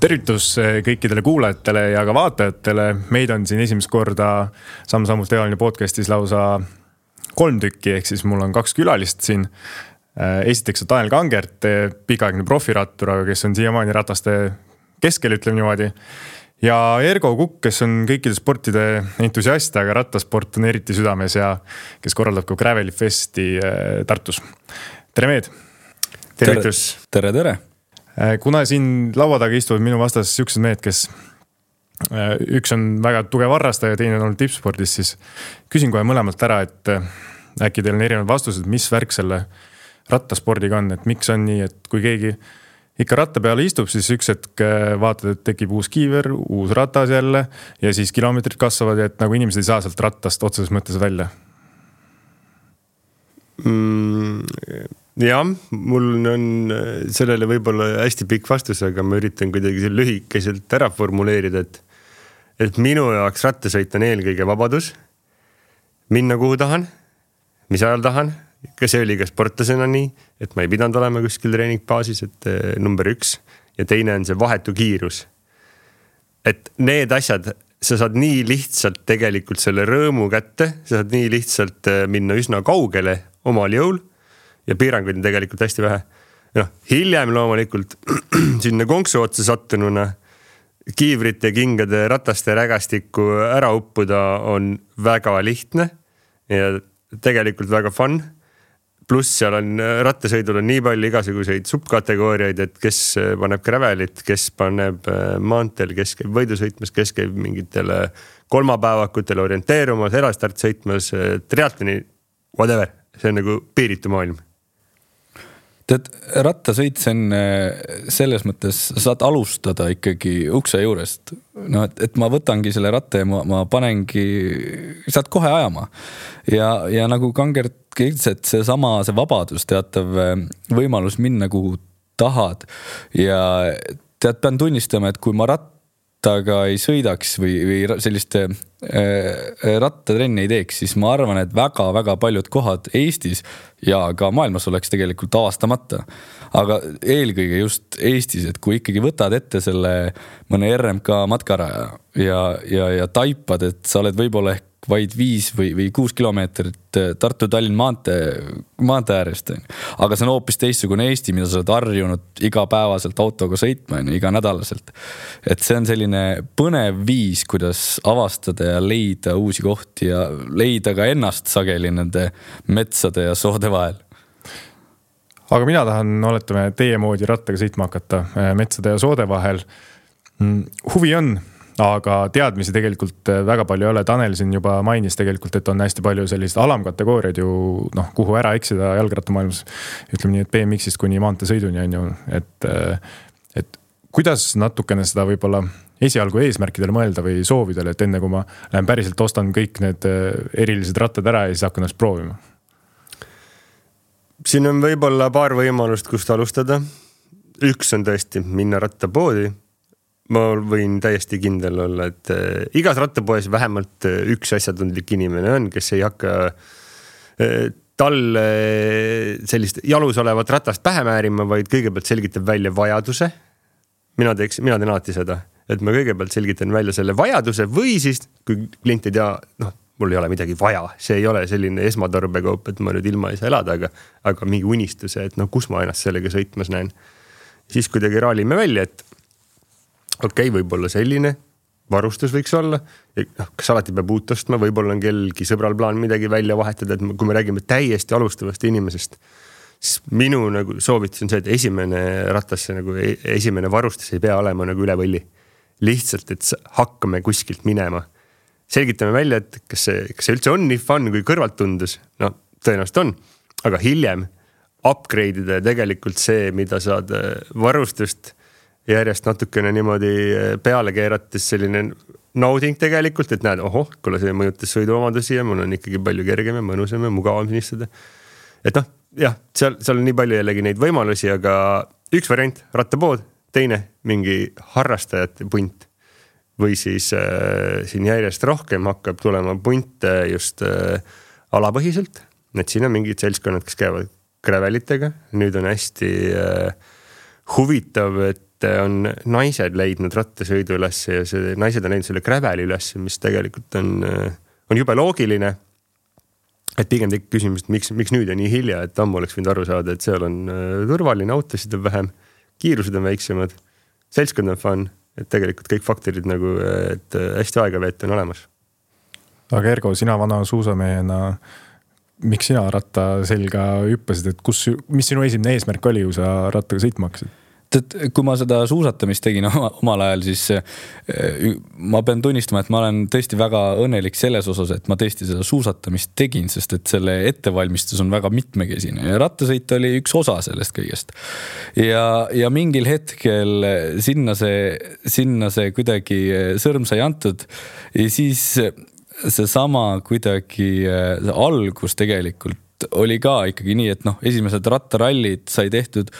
Tervitus kõikidele kuulajatele ja ka vaatajatele. Meid on siin esimest korda Samm-sammult Evaline podcastis lausa 3 tükki, ehk siis mul on 2 külalist siin. Esiteks on Tanel Kangert, pikaaegne profirattur, aga kes on siiamaani rataste keskel, ütleme niimoodi. Ja Ergo Kukk, kes on kõikide sportide entusiast, aga rattasport on eriti südames ja kes korraldab ka Graveli Festi Tartus. Tere Meed! Tervitus! Tere! Kuna siin laua taga istuvad minu vastas siuksed mehed, kes üks on väga tugev harrastaja ja teine on olnud tippspordis, siis küsin kohe mõlemalt ära, et äkki teil on erinevad vastused, mis värk selle rattaspordiga on, et miks on nii, et kui keegi ikka ratta peale istub, siis üks hetk vaatad, et tekib uus kiiver, uus ratas jälle ja siis kilomeetrid kasvavad ja et nagu inimesed ei saa sealt rattast otseses mõttes välja. Jah, mul on sellele võib-olla hästi pikk vastus, aga ma üritan kuidagi lühikeselt ära formuleerida, et minu jaoks rattasõit on eelkõige vabadus, minna kuhu tahan, mis ajal tahan, ka see oli ka sportlasena nii, et ma ei pidanud olema kuskil treeningbaasis, et number 1 ja teine on see vahetu kiirus. Et need asjad, sa saad nii lihtsalt tegelikult selle rõõmu kätte, sa saad nii lihtsalt minna üsna kaugele omal jõul, ja piiranguid on tegelikult hästi vähe. Hiljem loomulikult sinna konksu otsa sattununa kiivrite, kingade, rataste rägastikku ära uppuda on väga lihtne ja tegelikult väga fun. Pluss seal on rattasõidul on nii palju igasuguseid subkategooriaid, et kes paneb gravelit, kes paneb maanteel, kes käib võidusõitmas, kes käib mingitele kolmapäevakutele orienteerumas, erastart sõitmas, triatloni, whatever. See on nagu piiritu maailm. Tead, rattasõit see on selles mõttes, saad alustada ikkagi ukse juurest. No, et ma võtangi selle ratta ja ma panengi, saad kohe ajama. Ja nagu Kangert ütles, et see vabadus, teatav võimalus minna kuhu tahad. Ja tead, pean tunnistama, et kui ma rattaga ei sõidaks või selliste rattatrenni ei teeks, siis ma arvan, et väga paljud kohad Eestis ja ka maailmas oleks tegelikult avastamata. Aga eelkõige just Eestis, et kui ikkagi võtad ette selle mõne RMK matkaraja ja taipad, et sa oled võib-olla ehk vaid 5 või 6 kilomeetrit Tartu-Tallinn maantee äärest. Aga see on hoopis teistsugune Eesti, mida sa oled harjunud igapäevaselt autoga sõitma, iga nädalaselt. Et see on selline põnev viis, kuidas avastada ja leida uusi kohti ja leida ka ennast sageli nende metsade ja soode vahel. Aga mina tahan, oletame, teie moodi rattaga sõitma hakata metsade ja soode vahel. Huvi on, aga teadmisi tegelikult väga palju ei ole. Tanel siin juba mainis tegelikult, et on hästi palju sellist alamkategooriad ju, kuhu ära eksida jalgrattamaailmas. Ütleme nii, et BMX-ist kuni maanteesõiduni on ju. Et kuidas natukene seda võib-olla esialgu eesmärkidele mõelda või soovidele, et enne kui ma lähen päriselt ostan kõik need erilised rattad ära ja siis hakkan ennast proovima? Siin on võib-olla paar võimalust, kust alustada. Üks on tõesti minna rattapoodi. Ma võin täiesti kindel olla, et igas rattapoes vähemalt üks asjatundlik inimene on, kes ei hakka talle sellist jalus olevat ratast pähe määrima, vaid kõigepealt selgitab välja vajaduse. Mina teen alati seda, et ma kõigepealt selgitan välja selle vajaduse või siis, kui klient ei tea, mul ei ole midagi vaja. See ei ole selline esmatarbekaup, et ma nüüd ilma ei saa elada, aga mingi unistuse, et kus ma ennast sellega sõitmas näen. Siis kuidagi raalime välja, et okei, võib-olla selline varustus võiks olla. Kas alati peab uut ostma, võib-olla on kellelgi sõbral plaan midagi välja vahetada, et kui me räägime täiesti alustavast inimesest, siis minu nagu soovitus on see, et esimene rattasse, esimene varustus ei pea olema nagu üle võlli. Lihtsalt, et hakkame kuskilt minema. Selgitame välja, et kas see üldse on nii fun, kui kõrvalt tundus. Tõenäoliselt on, aga hiljem upgrade'ida tegelikult see, mida saad varustust järjest natukene niimoodi peale keerates selline nauding tegelikult, et näed, kuule see mõjutas sõiduomadusi ja mul on ikkagi palju kergem ja mõnusam ja mugavam sinistada. Et seal on nii palju jällegi neid võimalusi, aga üks variant, rattapood, teine mingi harrastajate punt või siis siin järjest rohkem hakkab tulema punte just alapõhiselt, et siin on mingid seltskonnad, kes käivad gravelitega, nüüd on hästi huvitav, et on naised leidnud rattasõidu üles ja naised on leidnud selle graveli üles, mis tegelikult on jube loogiline. Et pigem tekib küsimus, et miks nüüd on nii hilja, et ammu oleks võinud aru saada, et seal on turvaline, autosid on vähem, kiirused on väiksemad, seltskond on fun, et tegelikult kõik faktorid nagu, et hästi aega veeta on olemas. Aga Ergo, sina vana suusamehena, miks sina ratta selga hüppasid, et mis sinu esimene eesmärk oli, kui sa rattaga sõitma hakkasid? Kui ma seda suusatamist tegin omal ajal, siis ma pean tunnistama, et ma olen tõesti väga õnnelik selles osas, et ma tõesti seda suusatamist tegin, sest et selle ettevalmistus on väga mitmekesine ja rattasõit oli üks osa sellest kõigest. Ja mingil hetkel sinna see kuidagi sõrm sai antud ja siis see sama kuidagi algus tegelikult oli ka ikkagi nii, et esimesed rattarallid sai tehtud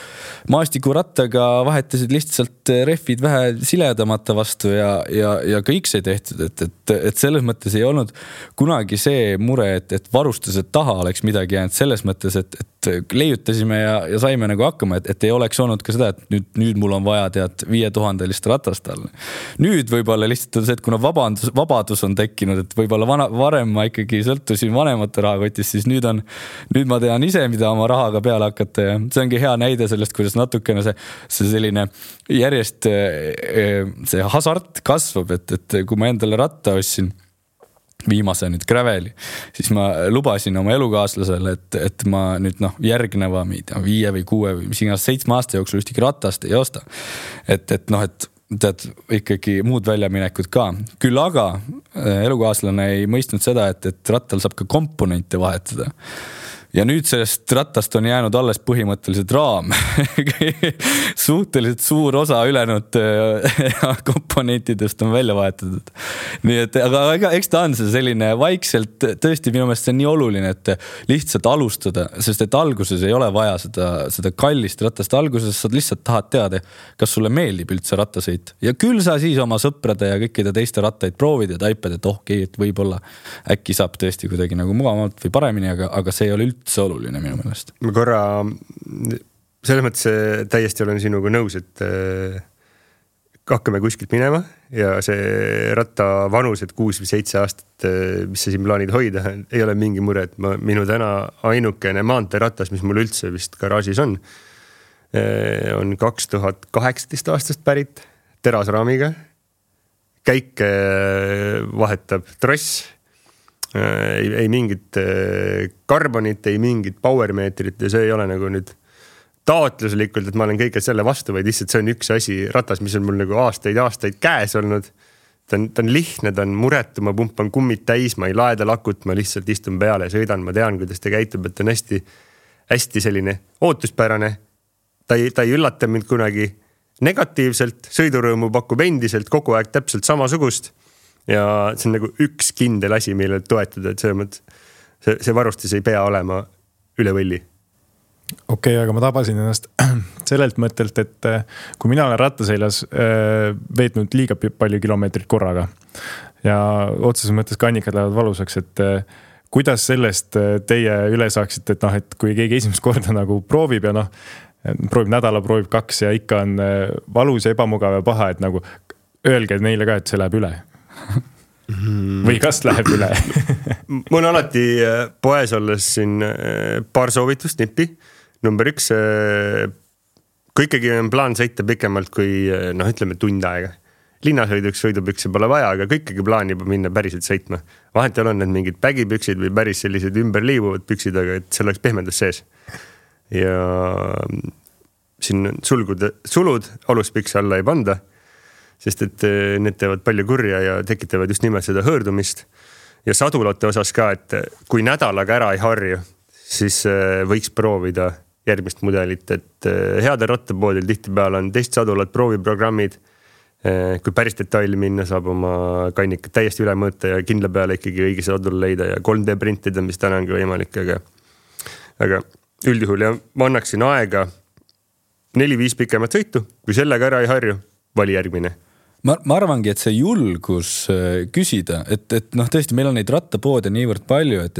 maastikurattaga, vahetasid lihtsalt rehvid vähe siledamata vastu ja kõik sai tehtud, et selles mõttes ei olnud kunagi see mure, et varustused taha oleks midagi jäänud selles mõttes, et leiutasime ja saime nagu hakkama, et ei oleks olnud ka seda, et nüüd mul on vaja 5000 ratast all. Nüüd võib-olla lihtsalt on see, et kuna vabadus on tekkinud, et võib-olla varem ma ikkagi sõltusin vanemate rahakotist, siis nüüd ma tean ise, mida oma rahaga peale hakata ja see ongi hea näide sellest, kuidas natukene see selline järjest see hasart kasvab, et kui ma endale ratta ostsin viimase nüüd graveli, siis ma lubasin oma elukaaslasele, et ma nüüd järgneva 5 või 6 või mis iganes 7 aasta jooksul ühtegi ratast ei osta. Et tead ikkagi muud väljaminekud ka. Küll aga elukaaslane ei mõistnud seda, et rattal saab ka komponente vahetada. Ja nüüd sellest rattast on jäänud alles põhimõtteliselt raam. Suhteliselt suur osa ülejäänud komponentidest on välja vahetatud. Nii et, aga eks ta on see selline vaikselt, tõesti minu meelest see on nii oluline, et lihtsalt alustada, sest et alguses ei ole vaja seda kallist ratast. Alguses sa lihtsalt tahad teada, kas sulle meeldib üldse rattasõit. Ja küll sa siis oma sõprade ja kõikide teiste rattaid proovid ja taipad, et et võib-olla äkki saab tõesti kuidagi nagu mugavamalt või paremini, aga see ei ole üldse oluline minu meelest. Ma korra selles mõttes täiesti olen sinuga nõus, et hakkame kuskilt minema ja see ratta vanus, et 6 või 7 aastat, mis sa siin plaanid hoida, ei ole mingi mure, et minu täna ainukene maanteeratas, mis mul üldse vist garaažis on 2018 aastast pärit terasraamiga. Käike vahetab tross, ei mingit karbonit, ei mingit powermeetrit ja see ei ole nagu nüüd taotluslikult, et ma olen kõige selle vastu, vaid lihtsalt see on üks asi ratas, mis on mul nagu aastaid käes olnud. Ta on lihtne, ta on muretu, ma pumpan kummid täis, ma ei laeda lakut, ma lihtsalt istun peale ja sõidan, ma tean, kuidas ta käitub, et ta on hästi selline ootuspärane. Ta ei üllata mind kunagi negatiivselt, sõidurõõmu pakub endiselt kogu aeg täpselt samasugust. Ja see on nagu üks kindel asi, millele toetuda, et see varustus ei pea olema üle võlli. Okei, aga ma tabasin ennast sellelt mõttelt, et kui mina olen rattaseljas veetnud liiga palju kilomeetrit korraga ja otseses mõttes kannikad lähevad valusaks, et kuidas sellest teie üle saaksite, et kui keegi esimest korda nagu proovib ja proovib nädala, proovib 2 ja ikka on valus ja ebamugav ja paha, et nagu öelge neile ka, et see läheb üle. Või kas läheb üle? Mul on alati poes olles siin paar soovitust nippi. Number 1, kui ikkagi on plaan sõita pikemalt kui ütleme tund aega. Linnasõiduks sõidupükse pole vaja, aga kui ikkagi plaan juba minna päriselt sõitma. Vahetel on need mingid pägipüksid või päris sellised ümberliivuvad püksid, aga et see oleks pehmendus sees. Ja siin sulud aluspükse alla ei panda, sest et need teevad palju kurja ja tekitavad just nimelt seda hõõrdumist. Ja sadulate osas ka, et kui nädalaga ära ei harju, siis võiks proovida järgmist mudelit, et heade rattapoodil tihtipeale on testsadulat, prooviprogrammid. Kui päris detaili minna, saab oma kannikat täiesti üle mõõta ja kindla peale ikkagi õige sadul leida ja 3D printida, mis täna ongi võimalik, aga üldjuhul ja ma annaksin aega 4-5 pikemat sõitu, kui sellega ära ei harju, vali järgmine. Ma arvangi, et see julgus küsida, et tõesti meil on neid rattapoode niivõrd palju, et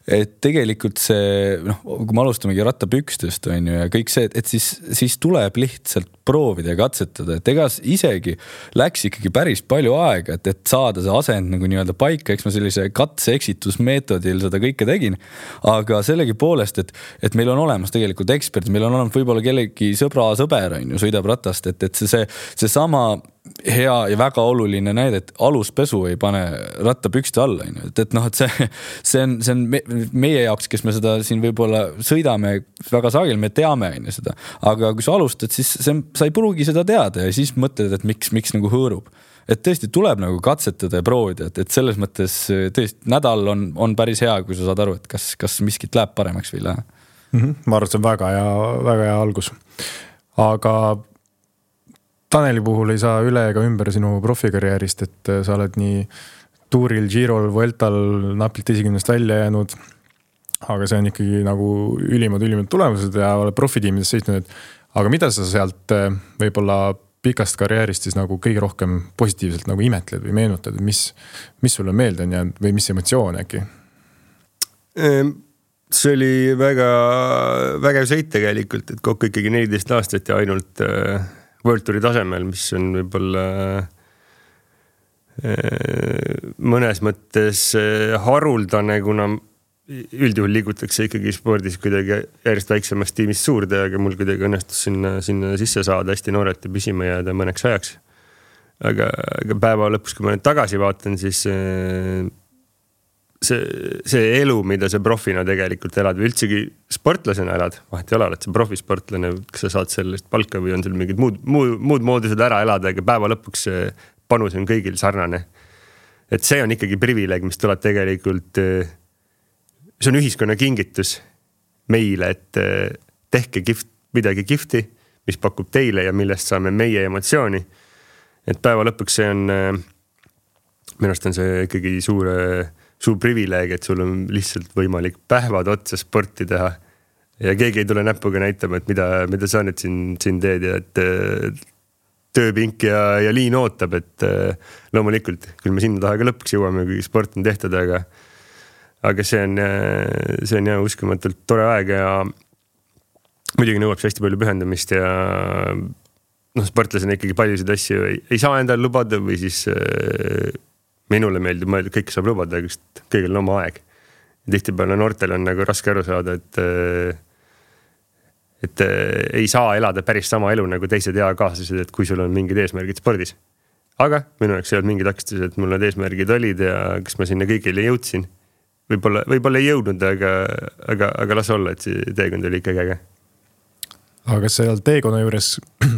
et tegelikult see, kui me alustamegi rattapükstest on ju ja kõik see, et siis tuleb lihtsalt proovida ja katsetada, et ega isegi läks ikkagi päris palju aega, et saada see asend nagu nii-öelda paika, eks ma sellise katse-eksitusmeetodil seda kõike tegin, aga sellegi poolest, et meil on olemas tegelikult ekspert, meil on olemas võib-olla kellegi sõber on ju, sõidab ratast, et see sama hea ja väga oluline näide, et aluspesu ei pane rattapükste alla, et see on meie jaoks, kes me seda siin võib-olla sõidame väga sagel, me teame seda, aga kui sa alustad, siis sa ei pruugi seda teada ja siis mõtled, et miks nagu hõõrub. Et tõesti tuleb nagu katsetada ja proovida, et selles mõttes tõesti nädal on päris hea, kui sa saad aru, et kas miskit läheb paremaks või ei lähe. Ma arvan, et see on väga hea algus. Aga Taneli puhul ei saa üle ega ümber sinu profikarjäärist, et sa oled nii tuuril, Girol, Vueltal napilt esikümnest välja jäänud, aga see on ikkagi nagu ülimad tulemused ja oled profitiimides sõitnud. Aga mida sa sealt võib-olla pikast karjäärist siis nagu kõige rohkem positiivselt nagu imetled või meenutad, mis sulle meelde on jäänud või mis emotsioon äkki? See oli väga sõit tegelikult, et kokku ikkagi 14 aastat ja ainult World Touri tasemel, mis on võib-olla mõnes mõttes haruldane, kuna üldjuhul liigutakse ikkagi spordis kuidagi järjest väiksemast tiimist suurde, aga mul kuidagi õnnestus sinna sisse saada hästi noorelt ja püsima jääda mõneks ajaks. Aga päeva lõpus, kui ma nüüd tagasi vaatan, siis see elu, mida see profina tegelikult elad või üldsegi sportlasena elad, vahet ei ole, oled see profisportlane, kas sa saad sellest palka või on seal mingid muud moodused ära elada, aga päeva lõpuks panus on kõigil sarnane. Et see on ikkagi privileeg, mis tuleb tegelikult, see on ühiskonna kingitus meile, et tehke midagi kihvti, mis pakub teile ja millest saame meie emotsiooni. Et päeva lõpuks see on, minu arust on see ikkagi suur privileeg, et sul on lihtsalt võimalik päevad otsa sporti teha ja keegi ei tule näpuga näitama, et mida sa nüüd siin teed ja et tööpink ja liin ootab, et loomulikult küll me sinna taha ka lõpuks jõuame, kui sport on tehtud, aga see on jah uskumatult tore aeg ja muidugi nõuab see hästi palju pühendamist ja sportlasena ikkagi paljusid asju ei saa endale lubada või siis minule meeldib mõelda, kõike saab lubada, aga kõigil on oma aeg. Tihtipeale noortel on nagu raske aru saada, et ei saa elada päris sama elu nagu teised eakaaslased, et kui sul on mingid eesmärgid spordis. Aga minu jaoks ei olnud mingid takistused, et mul need eesmärgid olid ja kas ma sinna kõigile jõudsin. Võib-olla ei jõudnud, aga las olla, et see teekond oli ikkagi äge. Aga kas seal teekonna juures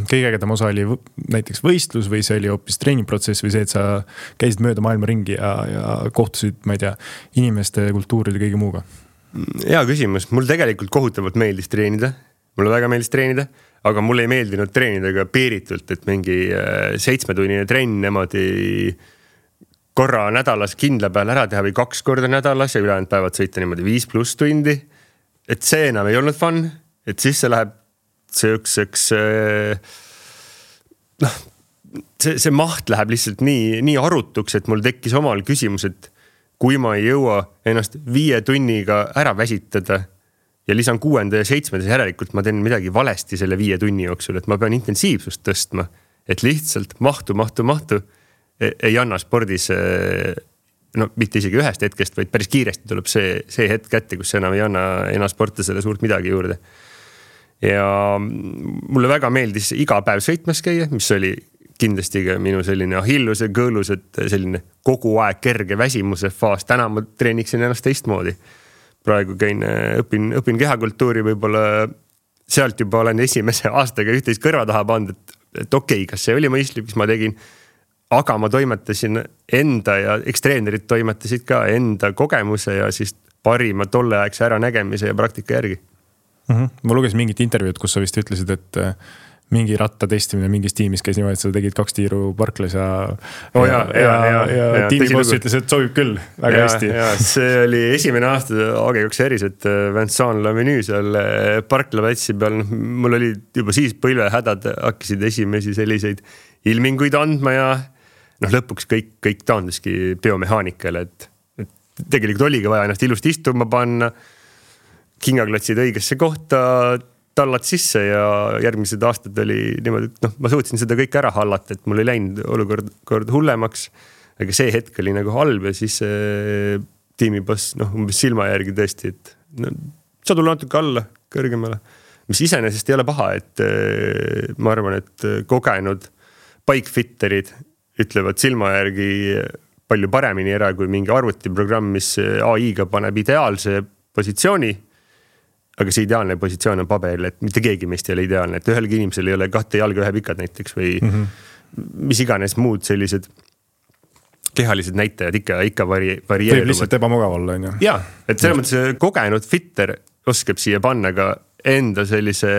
kõige ägedam osa oli näiteks võistlus või see oli hoopis treeningprotsess või see, et sa käisid mööda maailma ringi ja kohtusid, ma ei tea, inimeste, kultuuride kõige muuga? Hea küsimus. Mul tegelikult kohutavalt meeldis treenida. Mulle väga meeldis treenida, aga mulle ei meeldinud treenida ka piiritult, et mingi 7-tunnine trenn nemadi korra nädalas kindla peal ära teha või 2 korda nädalas ja ülejäänud päevad sõita niimoodi 5+ tundi. Et see enam ei olnud fun, et siis see läheb see maht läheb lihtsalt nii arutuks, et mul tekkis omal küsimus, et kui ma ei jõua ennast 5 tunniga ära väsitada ja lisan 6. ja 7. järelikult ma teen midagi valesti selle 5 tunni jooksul, et ma pean intensiivsust tõstma, et lihtsalt mahtu ei anna spordis, mitte isegi ühest hetkest, vaid päris kiiresti tuleb see hetk kätte, kus enam ei anna sportlasele suurt midagi juurde. Ja mulle väga meeldis iga päev sõitmas käia, mis oli kindlasti ka minu selline ahilluse kõõlus, et selline kogu aeg kerge väsimuse faas. Täna ma treeniksin ennast teistmoodi. Praegu õpin kehakultuuri, võib-olla sealt juba olen esimese aastaga üht-teist kõrva taha pandud, et okei, kas see oli mõistlik, mis ma tegin, aga ma toimetasin enda ja ekstreenerid toimetasid ka enda kogemuse ja siis parima tolleaegse äranägemise ja praktika järgi. Ma lugesin mingit intervjuud, kus sa vist ütlesid, et mingi ratta testimine mingis tiimis käis niimoodi, et sa tegid 2 tiiru parklas ja tiimiboss ütles, et sobib küll väga hästi. See oli esimene aasta AG2 eris, et Vincent-Lavenue seal parklavätsi peal, mul oli juba siis põlvehädad, hakkasid esimesi selliseid ilminguid andma ja lõpuks kõik taanduski biomehaanikale, et tegelikult oligi vaja ennast ilusti istuma panna, kingaklotsid õigesse kohta, tallad sisse ja järgmised aastad oli niimoodi, et ma suutsin seda kõik ära hallata, et mul ei läinud olukord hullemaks, aga see hetk oli nagu halb ja siis tiimiboss umbes silma järgi tõesti, et sa tule natuke alla kõrgemale, mis iseenesest ei ole paha, et ma arvan, et kogenud bikefitterid ütlevad silma järgi palju paremini ära kui mingi arvutiprogramm, mis AI-ga paneb ideaalse positsiooni, aga see ideaalne positsioon on paberil, et mitte keegi meist ei ole ideaalne, et ühelgi inimesel ei ole 2 jalga 1 pikad näiteks või mis iganes muud sellised kehalised näitajad ikka varieeruvad. Võib lihtsalt ebamugav olla, on ju? Jaa, et selles mõttes kogenud fitter oskab siia panna ka enda sellise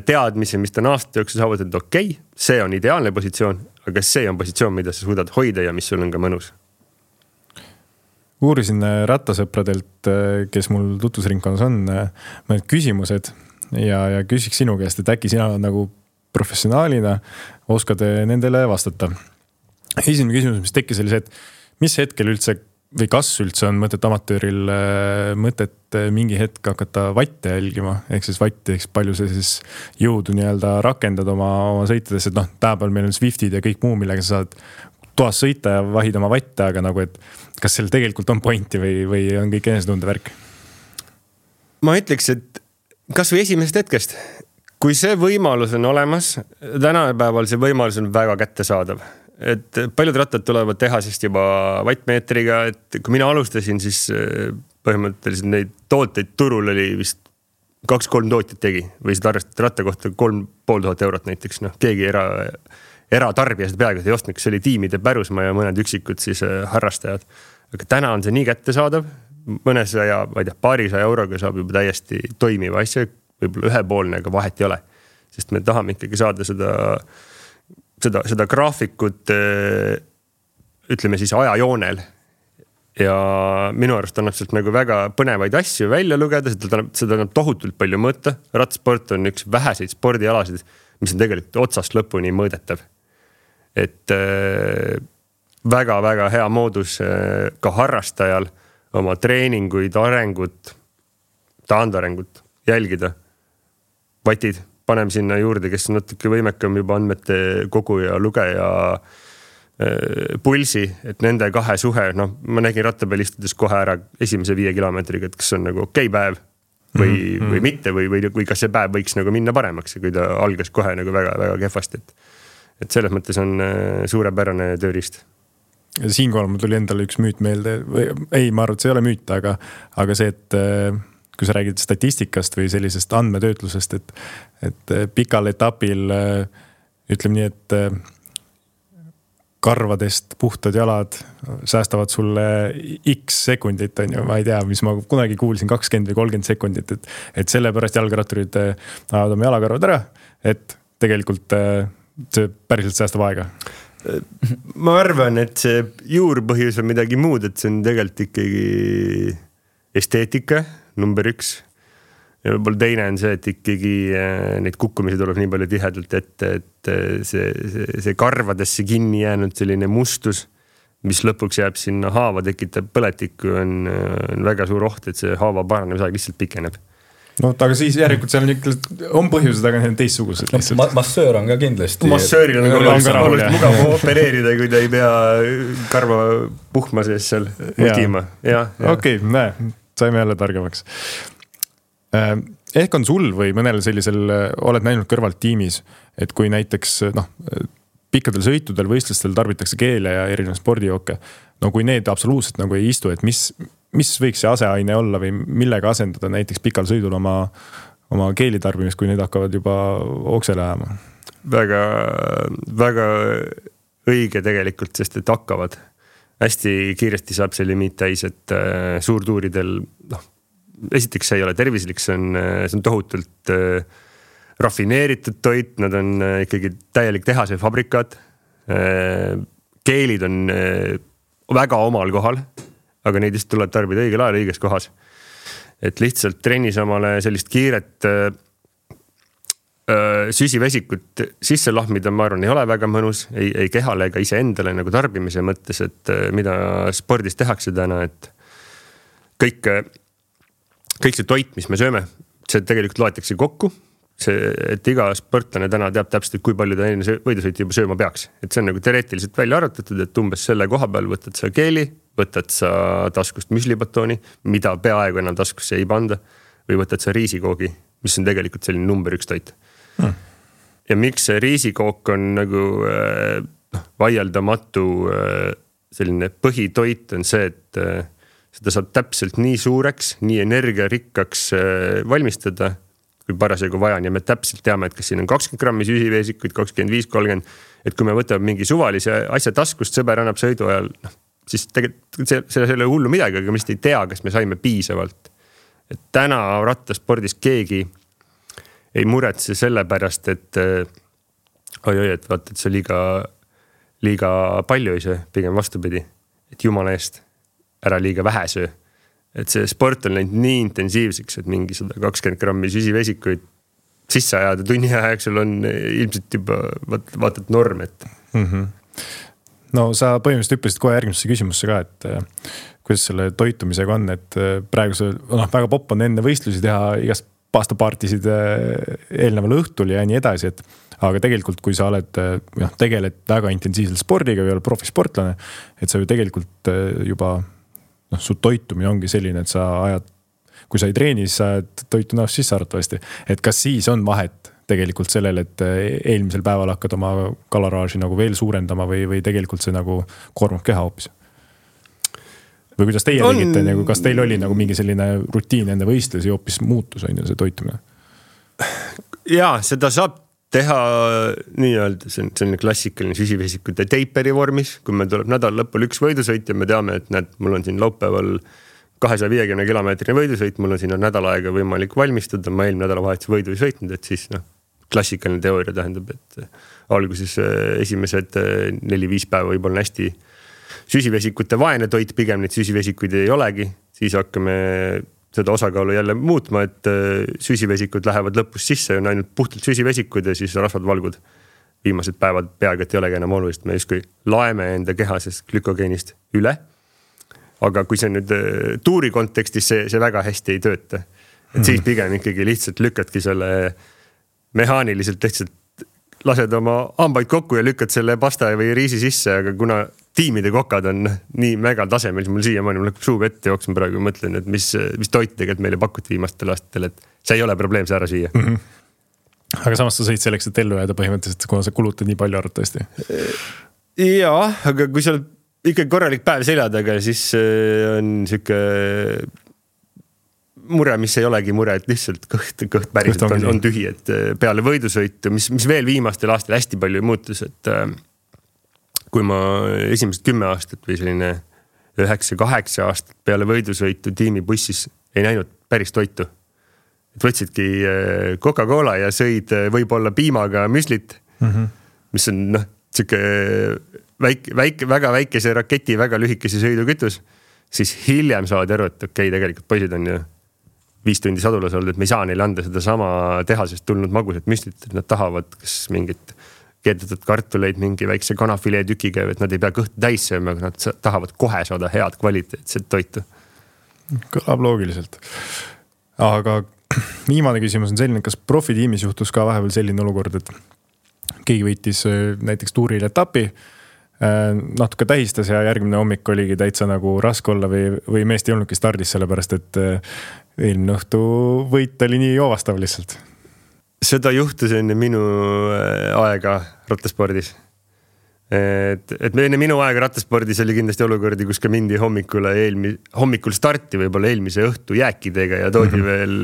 teadmise, mis ta on aasta jooksul saavutanud, et okei, see on ideaalne positsioon, aga see on positsioon, mida sa suudad hoida ja mis sul on ka mõnus. Uurisin rattasõpradelt, kes mul tutvusringkonnas on, mõned küsimused ja küsiks sinu käest, et äkki sina nagu professionaalina oskad nendele vastata. Esimene küsimus, mis tekkis oli see, et mis hetkel üldse või kas üldse on mõtet amatööril mõtet mingi hetk hakata vatte jälgima, ehk siis vatti, ehk palju see siis jõudu nii-öelda rakendad oma sõitades, et tänapäeval meil on Swiftid ja kõik muu, millega sa saad toas sõita ja vahid oma vatte, aga nagu, et kas seal tegelikult on pointi või on kõik enesetunde värk? Ma ütleks, et kas või esimesest hetkest, kui see võimalus on olemas, tänapäeval see võimalus on väga kättesaadav. Et paljud rattad tulevad tehasest juba vattmeetriga, et kui mina alustasin, siis põhimõtteliselt neid tooteid turul oli vist 2-3 tootjat tegi või seda arvestada ratta kohta 3500 eurot näiteks. Keegi eratarbija seda peaaegu ei ostnud, kes oli tiimide pärusmaa ja mõned üksikud siis harrastajad. Aga täna on see nii kättesaadav, mõnesaja, paarisaja euroga saab juba täiesti toimiva asja, võib-olla ühepoolne, aga vahet ei ole. Sest me tahame ikkagi saada seda graafikut, ütleme siis ajajoonel. Ja minu arust annab sealt nagu väga põnevaid asju välja lugeda, seda annab tohutult palju mõõta. Rattsport on üks väheseid spordialasid, mis on tegelikult otsast lõpuni mõõdetav. Et väga-väga hea moodus ka harrastajal oma treeninguid, arengut, taandarengut jälgida. Vatid panem sinna juurde, kes on natuke võimekam juba andmete kogu ja lugeja pulsi, et nende 2 suhe, ma nägin ratta peal istudes kohe ära esimese 5 kilomeetriga, et kas on nagu okei päev või mitte, või kas see päev võiks nagu minna paremaks, kui ta algas kohe nagu väga-väga kehvasti. Et selles mõttes on suurepärane tööriist. Siinkohal mul tuli endale üks müüt meelde, ei, ma arvan, et see ei ole müüt, aga see, et kui sa räägid statistikast või sellisest andmetöötlusest, et pikal etapil ütleme nii, et karvadest puhtad jalad säästavad sulle X sekundit, on ju, ma ei tea, mis ma kunagi kuulsin 20 või 30 sekundit, et sellepärast jalgratturid ajavad oma jalakarvad ära, et tegelikult see päriselt säästab aega. Ma arvan, et see juurpõhjus on midagi muud, et see on tegelikult ikkagi esteetika, number 1. Ja võib-olla teine on see, et ikkagi neid kukkumisi tuleb nii palju tihedalt ette, et see karvadesse kinni jäänud selline mustus, mis lõpuks jääb sinna haava, tekitab põletikku, on väga suur oht, et see haava paranemise lihtsalt pikeneb. Aga siis järelikult seal on põhjused, aga need on teistsugused lihtsalt. Massöör on ka kindlasti. Massööril on oluliselt mugav opereerida, kui ta ei pea karva puhma sees seal mutima. Okei, saime jälle targemaks. Ehk on sul või mõnel sellisel oled näinud kõrvalt tiimis, et kui näiteks pikkadel sõitudel, võistlustel tarbitakse keele ja erinev spordijooke, kui need absoluutselt nagu ei istu, et mis võiks see aseaine olla või millega asendada näiteks pikal sõidul oma keeli tarbimist, kui need hakkavad juba oksele ajama? Väga, väga õige tegelikult, sest et hakkavad. Hästi kiiresti saab see limiit täis, et suurtuuridel, esiteks see ei ole tervislik, see on tohutult rafineeritud toit, nad on ikkagi täielik tehase fabrikaat. Keelid on väga omal kohal, aga neid just tuleb tarbida õigel ajal õiges kohas. Et lihtsalt trennis omale sellist kiiret süsivesikut sisse lahmida, ma arvan, ei ole väga mõnus, ei kehale ega iseendale nagu tarbimise mõttes, et mida spordis tehakse täna, et kõik see toit, mis me sööme, see tegelikult loetakse kokku. Et iga sportlane täna teab täpselt, kui palju ta enne võidusõitu juba sööma peaks. Et see on nagu teoreetiliselt välja arvutatud, et umbes selle koha peal võtad sa keeli, võtad sa taskust müslibatooni, mida peaaegu enam taskusse ei panda, või võtad sa riisikoogi, mis on tegelikult selline number 1 toit. Ja miks see riisikook on nagu vaieldamatu selline põhitoit on see, et seda saab täpselt nii suureks, nii energiarikkaks valmistada, kui parasjagu vaja on ja me täpselt teame, et kas siin on 20 grammi süsiveesikuid, 25, 30, et kui me võtame mingi suvalise asja taskust, sõber annab sõidu ajal, siis tegelikult see ei ole hullu midagi, aga me lihtsalt ei tea, kas me saime piisavalt. Et täna rattaspordis keegi ei muretse selle pärast, et et vaata, et see liiga palju ei söö, pigem vastupidi, et jumala eest ära liiga vähe söö. Et see sport on läinud nii intensiivseks, et mingi 120 grammi süsivesikuid sisse ajada tunni ajaksul on ilmselt juba vaatad norm, et. No sa põhimõtteliselt hüppasid kohe järgmisse küsimusse ka, et kuidas selle toitumisega on, et praegu väga popp on enne võistlusi teha igast pastapartisid eelneval õhtul ja nii edasi, et aga tegelikult, kui sa oled, tegeled väga intensiivselt spordiga või oled profisportlane, et sa ju tegelikult juba su toitumine ongi selline, et sa ajad, kui sa ei treeni, siis sa ajad toitu näost sisse arvatavasti. Et kas siis on vahet tegelikult sellel, et eelmisel päeval hakkad oma kalaraaži nagu veel suurendama või tegelikult see nagu koormab keha hoopis? Või kuidas teie tegite, nagu, kas teil oli nagu mingi selline rutiin enne võistlusi hoopis muutus on ju see toitumine? Jaa, seda saab teha nii-öelda selline klassikaline süsivesikute teiperi vormis, kui meil tuleb nädal lõpul 1 võidusõit ja me teame, et näed, mul on siin laupäeval 250 kilomeetrini võidusõit, mul on siin nädal aega võimalik valmistuda, ma eelmine nädalavahetus võidu ei sõitnud, et siis klassikaline teooria tähendab, et alguses esimesed 4-5 päeva võib-olla hästi süsivesikute vaene toit, pigem neid süsivesikuid ei olegi, siis hakkame seda osakaalu jälle muutma, et süsivesikud lähevad lõpus sisse, on ainult puhtalt süsivesikud ja siis rasvad valgud. Viimased päevad peaaegu, et ei olegi enam olulist, me justkui laeme enda kehasest glükogeenist üle. Aga kui see nüüd tuuri kontekstis, see väga hästi ei tööta. Et siis pigem ikkagi lihtsalt lükkadki selle mehaaniliselt lihtsalt lased oma hambaid kokku ja lükkad selle pasta või riisi sisse, aga kuna tiimide kokad on nii mega tasemel, siis mul siiamaani mul hakkab suu vette jooksma praegu ja mõtlen, et mis toit tegelikult meile pakuti viimastel aastatel, et see ei ole probleem see ära süüa. Aga samas sa sõid selleks, et ellu jääda põhimõtteliselt, kuna sa kulutad nii palju arvatavasti. Jaa, aga kui sa oled ikka korralik päev seljadaga, siis on siuke mure, mis ei olegi mure, et lihtsalt kõht päriselt on tühi, et peale võidusõitu, mis veel viimastel aastal hästi palju muutus, et kui ma esimesed 10 aastat või selline 9-8 aastat peale võidusõitu tiimibussis ei näinud päris toitu. Et võtsidki Coca-Cola ja sõid võib-olla piimaga müslit, mis on siuke väga väikese raketi, väga lühikese sõidukütus, siis hiljem saad aru, et okei, tegelikult poisid on ju 5 tundi sadulas olnud, et me ei saa neile anda seda sama tehasest tulnud magusat müslit, et nad tahavad kas mingit keedetud kartuleid mingi väikse kanafilee tükiga, et nad ei pea kõhtu täis sööma, aga nad tahavad kohe saada head kvaliteetset toitu. Kõlab loogiliselt. Aga viimane küsimus on selline, kas profitiimis juhtus ka vahepeal selline olukord, et keegi võitis näiteks tuuril etapi, natuke tähistas ja järgmine hommik oligi täitsa nagu raske olla või meest ei olnudki stardis sellepärast, et eelmine õhtu võit oli nii joovastav lihtsalt. Seda juhtus enne minu aega rattaspordis. Et enne minu aega rattaspordis oli kindlasti olukordi, kus ka mindi hommikul starti võib-olla eelmise õhtu jääkidega ja toodi veel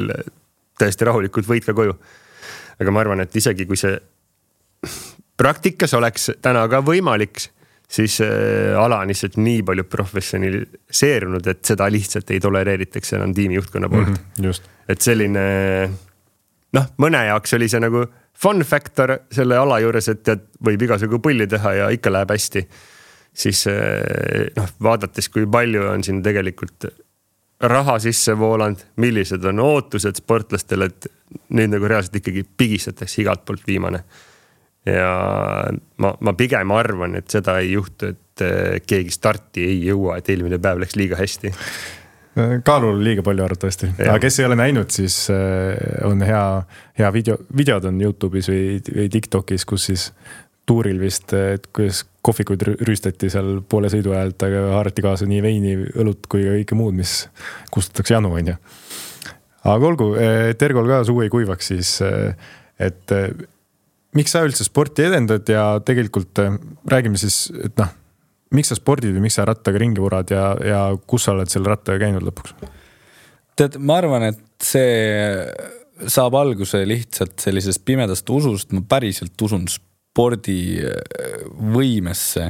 täiesti rahulikult võit ka koju. Aga ma arvan, et isegi kui see praktikas oleks täna ka võimalik, siis ala on lihtsalt nii palju professionaliseerunud, et seda lihtsalt ei tolereeritakse enam tiimi juhtkonna poolt. Just. Et selline, mõne jaoks oli see nagu fun factor selle ala juures, et võib igasugu pulli teha ja ikka läheb hästi. Siis vaadates, kui palju on siin tegelikult raha sisse voolanud, millised on ootused sportlastele, et nüüd nagu reaalselt ikkagi pigistatakse igalt poolt viimane. Ja ma pigem arvan, et seda ei juhtu, et keegi starti ei jõua, et eelmine päev läks liiga hästi. Kaalul liiga palju arvatavasti, aga kes ei ole näinud, siis on hea videod on YouTube'is või TikTokis, kus siis tuuril vist, et kuidas kohvikuid rüüstati seal poole sõidu ajalt, aga haarati kaasa nii veini, õlut kui ka kõike muud, mis kustutatakse janu, on ju. Aga olgu, Tergol ka suu ei kuivaks siis, et miks sa üldse sporti edendad ja tegelikult räägime siis, et noh, miks sa spordid või miks sa rattaga ringi vurad ja kus sa oled selle rattaga käinud lõpuks? Tead, ma arvan, et see saab alguse lihtsalt sellisest pimedast usust. Ma päriselt usun spordi võimesse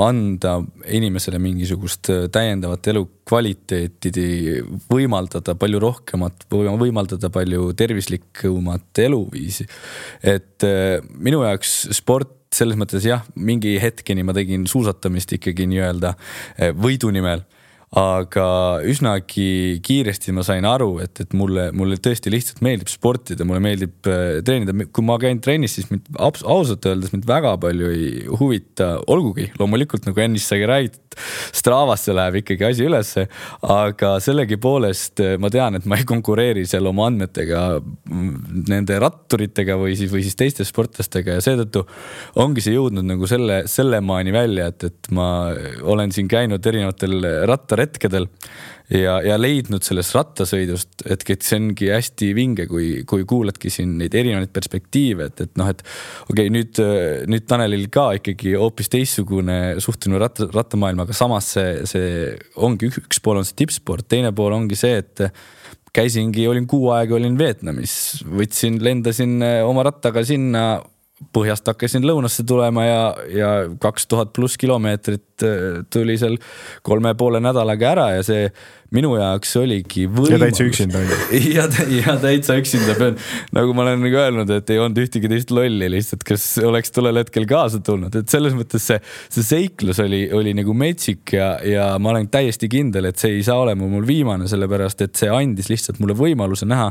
anda inimesele mingisugust täiendavat elu kvaliteeti, võimaldada palju rohkemat, võimaldada palju tervislikumat eluviisi. Et minu jaoks sport selles mõttes jah, mingi hetkeni ma tegin suusatamist ikkagi nii-öelda võidu nimel, aga üsnagi kiiresti ma sain aru, et mulle tõesti lihtsalt meeldib sportida, mulle meeldib treenida. Kui ma käin trennis, siis mind ausalt öeldes mind väga palju ei huvita, olgugi loomulikult nagu ennist sai räägitud, Stravasse läheb ikkagi asi ülesse, aga sellegi poolest ma tean, et ma ei konkureeri seal oma andmetega nende ratturitega või siis teiste sportlastega ja seetõttu ongi see jõudnud nagu selle maani välja, et ma olen siin käinud erinevatel rattaretkedel ja leidnud sellest rattasõidust, et see ongi hästi vinge, kui kuuladki siin neid erinevaid perspektiive, et noh, et okei, nüüd Tanelil ka ikkagi hoopis teistsugune suhtumine rattamaailma, aga samas see ongi üks pool on see tippsport, teine pool ongi see, et olin 6 aega, olin Vietnamis, lendasin oma rattaga sinna, põhjast hakkasin lõunasse tulema ja 2000 pluss kilomeetrit tuli seal 3,5 nädalaga ära ja see minu jaoks oligi võimalus. Ja täitsa üksinda. Ja täitsa üksinda pean. Nagu ma olen öelnud, et ei olnud ühtegi teist lolli lihtsalt, kes oleks tollel hetkel kaasa tulnud. Et selles mõttes see seiklus oli nagu metsik ja ma olen täiesti kindel, et see ei saa olema mul viimane, sellepärast, et see andis lihtsalt mulle võimaluse näha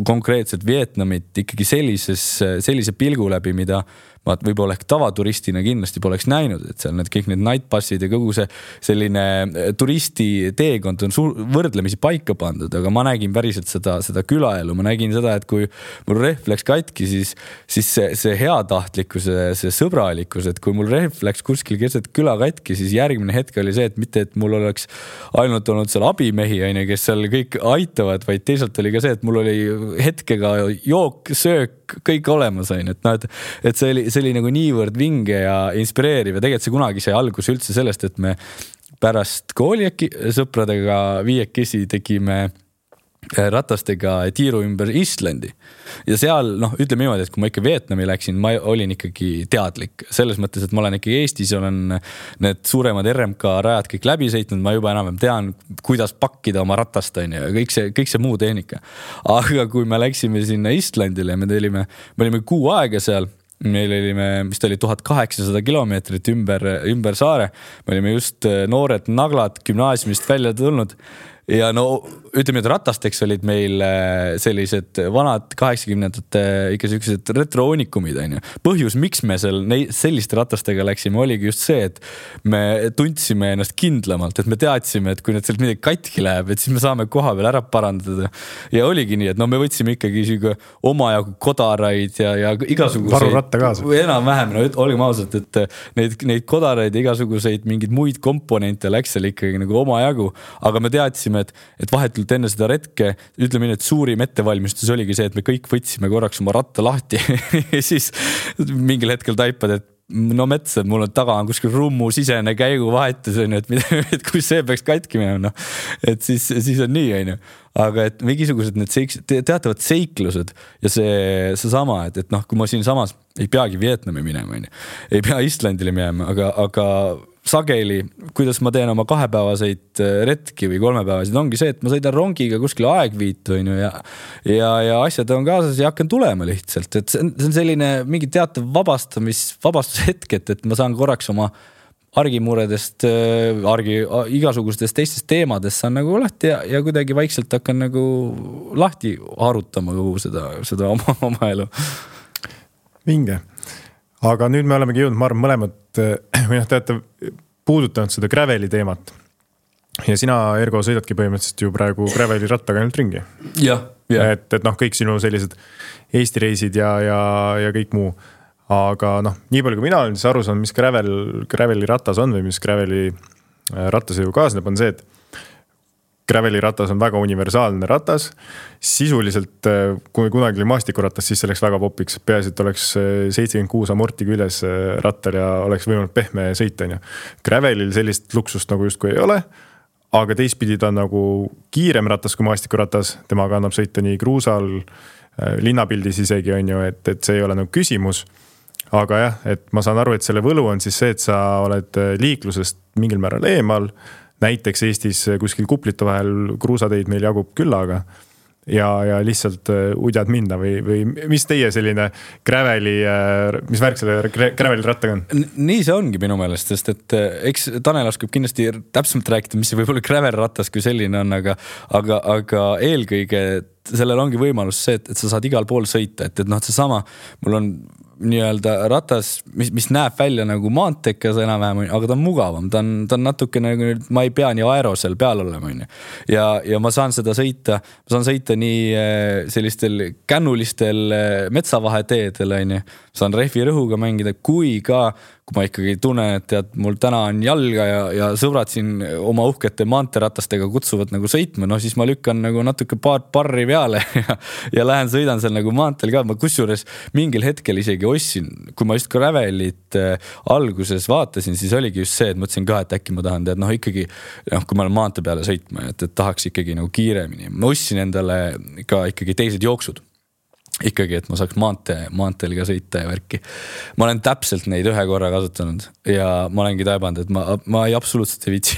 konkreetselt Vietnamit ikkagi sellise pilgu läbi, mida ma võib-olla ehk tavaturistina kindlasti poleks näinud, et seal kõik need night passid ja kogu see selline turisti teekond on võrdlemisi paika pandud, aga ma nägin päriselt seda külaelu, ma nägin seda, et kui mul rehv läks katki, siis see heatahtlikkus, see sõbralikkus, et kui mul rehv läks kuskil keset küla katki, siis järgmine hetk oli see, et mitte, et mul oleks ainult olnud seal abimehi, kes seal kõik aitavad, vaid teisalt oli ka see, et mul oli hetkega jook, söök, kõik olemas on, et see oli nagu niivõrd vinge ja inspireeriv ja tegelikult see kunagi sai algus üldse sellest, et me pärast kooli sõpradega 5 tegime ratastega tiiru ümber Islandi ja seal, ütleme niimoodi, et kui ma ikka Vietnami läksin, ma olin ikkagi teadlik selles mõttes, et ma olen ikkagi Eestis, olen need suuremad RMK rajad kõik läbi sõitnud, ma juba enam tean, kuidas pakkida oma ratast ja kõik see muu tehnika. Aga kui me läksime sinna Islandile, me olime 6 aega seal, meil olime, mis ta oli 1800 kilomeetrit ümber saare, me olime just noored naglad gümnaasiumist välja tulnud ja ütleme, et ratasteks olid meil sellised vanad 80-ndate ikka sellised retroonikumid. Põhjus, miks me selliste ratastega läksime, oligi just see, et me tundsime ennast kindlamalt, et me teadsime, et kui need sealt midagi katki läheb, et siis me saame koha veel ära parandada. Ja oligi nii, et me võtsime ikkagi omajagu kodaraid ja igasuguseid. Varuratta kaasa. Enam-vähem, olgem ausalt, et neid kodaraid ja igasuguseid mingeid muid komponente läks seal ikkagi nagu omajagu, aga me teadsime, et vahetult enne seda retke, ütleme nii, et suurim ettevalmistus oligi see, et me kõik võtsime korraks oma ratta lahti ja siis mingil hetkel taipad, et mets, et mul on taga on kuskil rummu sisene käiguvahetus, et kui see peaks katki minema, et siis on nii, aga et mingisugused need teatavad seiklused ja see sama, et kui ma siin samas ei peagi Vietnami minema, ei pea Islandile minema, aga sageli, kuidas ma teen oma 2-päevaseid retki või 3-päevaseid, ongi see, et ma sõidan rongiga kuskil aegviitu ja asjad on kaasas ja hakkan tulema lihtsalt. Et see on selline mingi teatav vabastushetk, et ma saan korraks oma argimuredest, igasugustest teistest teemadest saan nagu lahti ja kuidagi vaikselt hakkan nagu lahti harutama kogu seda oma elu. Vinge. Aga nüüd me olemegi jõudnud, ma arvan, mõlemad, või te olete puudutanud seda graveli teemat. Ja sina, Ergo, sõidadki põhimõtteliselt ju praegu graveli rattaga ainult ringi. Jah. Et kõik sinu sellised Eesti reisid ja kõik muu. Aga nii palju kui mina olen siis aru saanud, mis graveli ratas on või mis graveli rattasõidu kaasneb, on see, et graveli ratas on väga universaalne ratas. Sisuliselt, kui kunagi oli maastikuratas, siis selleks väga popiks. Peaasi, et oleks 76 amorti küljes rattal ja oleks võimalik pehme sõita. Gravelil sellist luksust nagu justkui ei ole, aga teistpidi ta on nagu kiirem ratas kui maastikuratas. Temaga annab sõita nii kruusal, linnapildis isegi on ju, et see ei ole nagu küsimus. Aga jah, et ma saan aru, et selle võlu on siis see, et sa oled liiklusest mingil määral eemal. Näiteks Eestis kuskil kuplite vahel kruusateid meil jagub küllaga ja lihtsalt udjad minna või mis teie selline graveli, mis värk selle graveli rattaga on? Nii see ongi minu meelest, sest et eks Tanel oskab kindlasti täpsemalt rääkida, mis see võib-olla gravel ratas kui selline on, aga eelkõige sellel ongi võimalus see, et sa saad igal pool sõita, et seesama, mul on nii-öelda ratas, mis näeb välja nagu maantekas enam-vähem, aga ta on mugavam, ta on natuke nagu, ma ei pea nii aerosel peal olema. Ja ma saan seda sõita, nii sellistel kännulistel metsavaheteedel, saan rehvi rõhuga mängida, kui ma ikkagi tunnen, et tead, mul täna on jalga ja sõbrad siin oma uhkete maanteratastega kutsuvad nagu sõitma, siis ma lükkan nagu natuke paar parri peale ja lähen sõidan seal nagu maanteel ka. Ma kusjuures mingil hetkel isegi ostsin, kui ma just gravelit alguses vaatasin, siis oligi just see, et mõtlesin ka, et äkki ma tahan tead, ikkagi, kui ma olen maantee peale sõitma, et tahaks ikkagi nagu kiiremini. Ma ostsin endale ka ikkagi teised jooksud. Ikkagi, et ma saaks maanteel ka sõita ja värki. Ma olen täpselt neid ühe korra kasutanud ja ma olengi taibanud, et ma ei absoluutselt ei vitsi,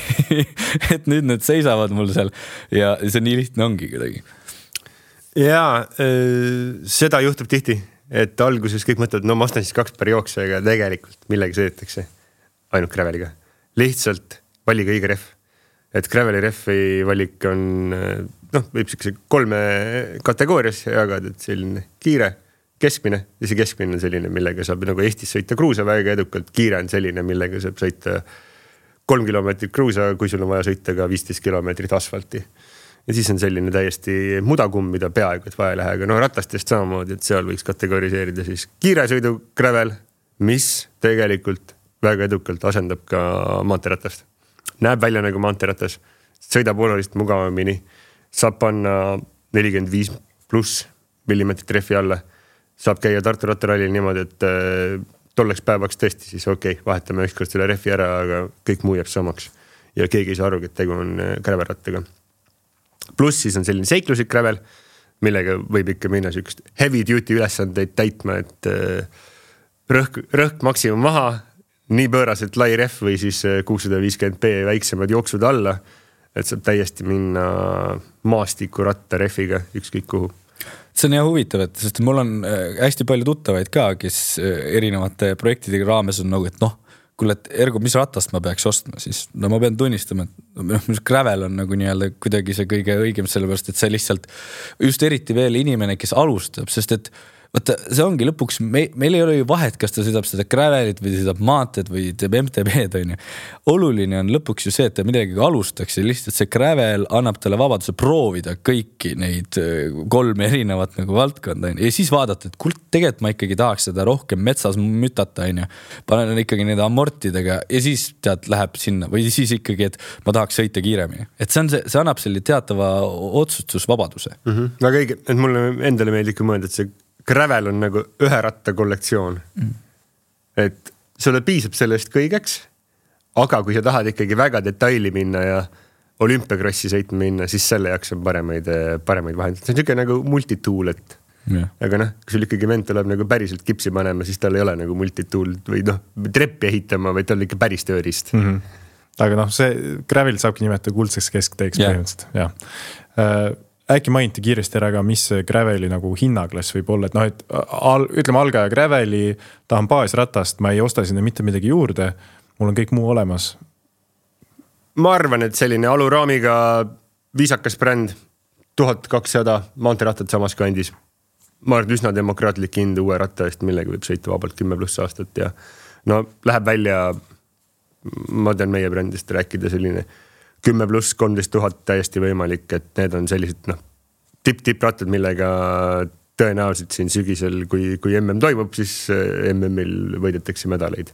et nüüd need seisavad mul seal ja see nii lihtne ongi kuidagi. Jaa, seda juhtub tihti, et alguses kõik mõtlevad, ma ostan siis 2 per jooksu, aga tegelikult millega sõidetakse ainult graveliga. Lihtsalt valige õige rehv. Et graveli rehvi valik on võib 3 kategoorias jagada, et selline kiire, keskmine ja see keskmine on selline, millega saab nagu Eestis sõita kruusa väga edukalt. Kiire on selline, millega saab sõita 3 kilomeetrit kruusa, kui sul on vaja sõita ka 15 kilomeetrit asfalti. Ja siis on selline täiesti mudakumm, mida peaaegu et vaja ei lähe, aga ratastest samamoodi, et seal võiks kategoriseerida siis kiire sõidu gravel, mis tegelikult väga edukalt asendab ka maanteratast. Näeb välja nagu maanteeratas, sõidab olulist mugavamini, saab panna 45+ millimeetrit rehvi alla, saab käia Tartu rattarallil niimoodi, et tolleks päevaks tõesti siis vahetame ükskord selle rehvi ära, aga kõik muu jääb samaks ja keegi ei saa aru, et tegu on gravelrattaga. Pluss siis on selline seikluslik gravel, millega võib ikka minna sükst heavy duty ülesandeid täitma, et rõhk maksimum maha, nii pööraselt lai rehv või siis 650p väiksemad jooksud alla, et saab täiesti minna maastikuratta rehviga ükskõik kuhu. See on hea huvitav, sest mul on hästi palju tuttavaid ka, kes erinevate projektidega raames on nagu, et kuule, et Ergo, mis ratast ma peaks ostma, siis ma pean tunnistama, et gravel on nagu nii-öelda kuidagi see kõige õigem, sellepärast, et see lihtsalt just eriti veel inimene, kes alustab, sest et vaata, see ongi lõpuks, meil ei ole ju vahet, kas ta sõidab seda gravelit või sõidab maanteed või teeb MTB-d, on ju. Oluline on lõpuks ju see, et ta midagi alustaks ja lihtsalt see gravel annab talle vabaduse proovida kõiki neid 3 erinevat nagu valdkonda. Ja siis vaadata, et tegelikult ma ikkagi tahaks seda rohkem metsas mütata, on ju. Panen ikkagi need amortidega ja siis tead, läheb sinna või siis ikkagi, et ma tahaks sõita kiiremini. Et see annab selle teatava otsustusvabaduse. Väga õige, et mulle endale meeldib mõelda, et see gravel on nagu ühe ratta kollektsioon. Et sulle piisab sellest kõigeks, aga kui sa tahad ikkagi väga detaili minna ja olümpiakrossi sõitma minna, siis selle jaoks on paremaid vahendeid. See on niisugune nagu multitool, et aga kui sul ikkagi vend tuleb nagu päriselt kipsi panema, siis tal ei ole nagu multitool või treppi ehitama, vaid tal ikka päris tööriist. Aga see gravel saabki nimetada kuldseks keskteeks põhimõtteliselt. Ja. Äkki mainiti kiiresti ära ka, mis graveli nagu hinnaklass võib olla, et ütleme algaja graveli, tahan baasratast, ma ei osta sinna mitte midagi juurde, mul on kõik muu olemas. Ma arvan, et selline aluraamiga viisakas bränd, 1200 maanteerattad samas kandis. Ma arvan, üsna demokraatlik hind uue ratta eest, millega võib sõita vabalt 10+ aastat ja no läheb välja, ma tean meie brändist rääkida selline 10+ 13 000 täiesti võimalik, et need on sellised tipp-rattad, millega tõenäoliselt siin sügisel, kui MM toimub, siis MM-il võidetakse medaleid.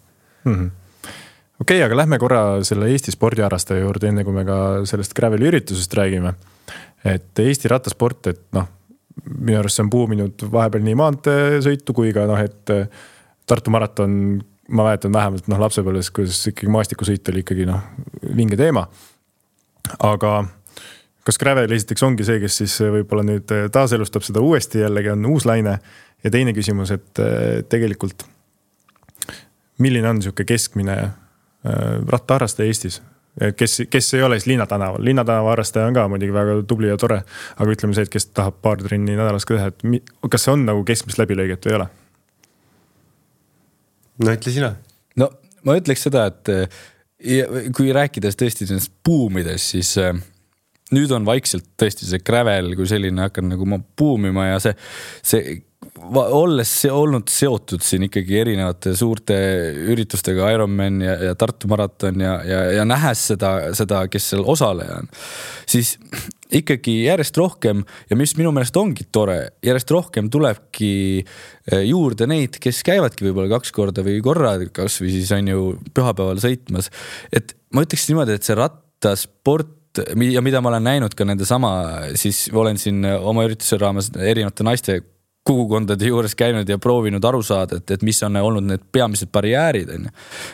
Okei, aga lähme korra selle Eesti spordiharrastaja juurde, enne kui me ka sellest Graveli üritusest räägime. Et Eesti rattasport, et minu arust see on puuminud vahepeal nii maanteesõitu kui ka et Tartu maraton, ma mäletan vähemalt lapsepõlves, kuidas ikkagi maastikusõit oli ikkagi vinge teema. Aga kas Gravel esiteks ongi see, kes siis võib-olla nüüd taaselustab seda uuesti, jällegi on uus laine ja teine küsimus, et tegelikult milline on niisugune keskmine rattaharrastaja Eestis? Kes ei ole siis Linnatanaval. Linnatanaval harrastaja on ka muidugi väga tubli ja tore, aga ütleme see, et kes tahab paar trenni nädalas ka teha, et kas see on keskmist läbilõiget või ei ole? No ütle sina. No ma ütleks seda, et kui rääkides tõesti buumides, siis nüüd on vaikselt tõesti see Gravel kui selline hakkab buumima ja see olles olnud seotud siin ikkagi erinevate suurte üritustega Ironman ja Tartu maraton ja nähes seda, kes seal osaleja on, siis ikkagi järjest rohkem ja mis minu meelest ongi tore, järjest rohkem tulebki juurde neid, kes käivadki võib-olla 2 korda või korra, kas või siis on ju pühapäeval sõitmas. Et ma ütleks niimoodi, et see rattasport ja mida ma olen näinud ka nende sama, siis olen siin oma ürituse raames erinevate naiste kogukondade juures käinud ja proovinud aru saada, et mis on olnud need peamised barjäärid,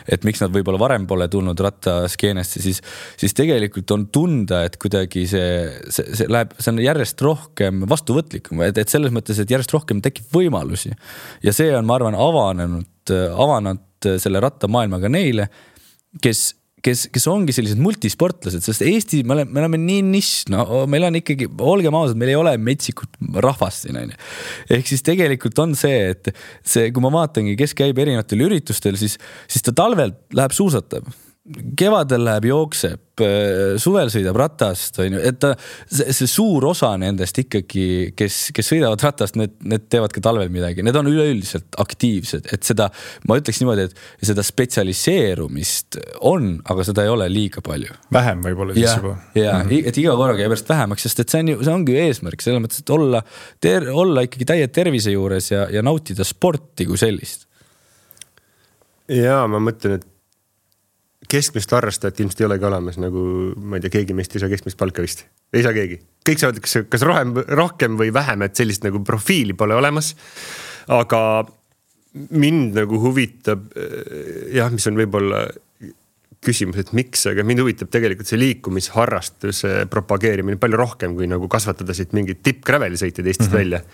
et miks nad võib-olla varem pole tulnud rattaskeenesse, siis tegelikult on tunda, et kuidagi see on järjest rohkem vastuvõtlikum, et selles mõttes, et järjest rohkem tekib võimalusi ja see on, ma arvan, avanud selle rattamaailmaga neile, kes ongi sellised multisportlased, sest Eesti, me oleme nii nišš, meil on ikkagi, olgem ausad, meil ei ole metsikut rahvast siin. Ehk siis tegelikult on see, et kui ma vaatangi, kes käib erinevatel üritustel, siis ta talvel läheb suusatab. Kevadel läheb jookseb, suvel sõidab ratast, et see suur osa nendest ikkagi, kes sõidavad ratast, need teevad ka talvel midagi. Need on üleüldiselt aktiivsed, et seda, ma ütleks niimoodi, et seda spetsialiseerumist on, aga seda ei ole liiga palju. Vähem võib-olla siis juba. Et iga korraga jääb vähemaks, sest et see ongi ju eesmärk, selles mõttes, et olla ikkagi täie tervise juures ja nautida sporti kui sellist. Ja ma mõtlen, et keskmist harrastajat ilmselt ei olegi olemas, nagu ma ei tea, keegi meist ei saa keskmist palka vist. Ei saa keegi. Kõik saavad kas rohkem või vähem, et sellist profiili pole olemas. Aga mind huvitab, mis on võib-olla küsimus, et miks, aga mind huvitab tegelikult see liikumisharrastuse propageerimine palju rohkem, kui kasvatada siit mingid tipp-graveli sõitjad Eestist välja.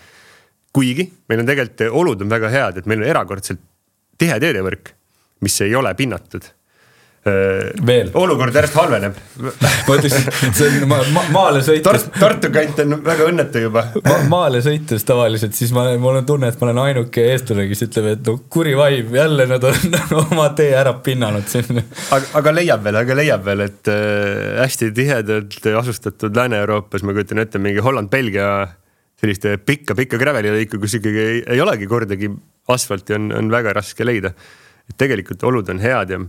Kuigi meil on tegelikult olud on väga head, et meil on erakordselt tihe teedevõrk, mis ei ole pinnatud. Veel. Olukord järjest halveneb. Ma ütleks, see on maale sõites. Tartu kant on väga õnnetu juba. Maale sõites tavaliselt, siis mul on tunne, et ma olen ainuke eestlane, kes ütleb, et kuri vaim, jälle nad on oma tee ära pinnanud siin. Aga leiab veel, et hästi tihedalt asustatud Lääne-Euroopas, ma kujutan ette mingi Holland-Belgia selliste pikka gravelilõiku, kus ikkagi ei olegi kordagi asfalti, on väga raske leida. Et tegelikult olud on head ja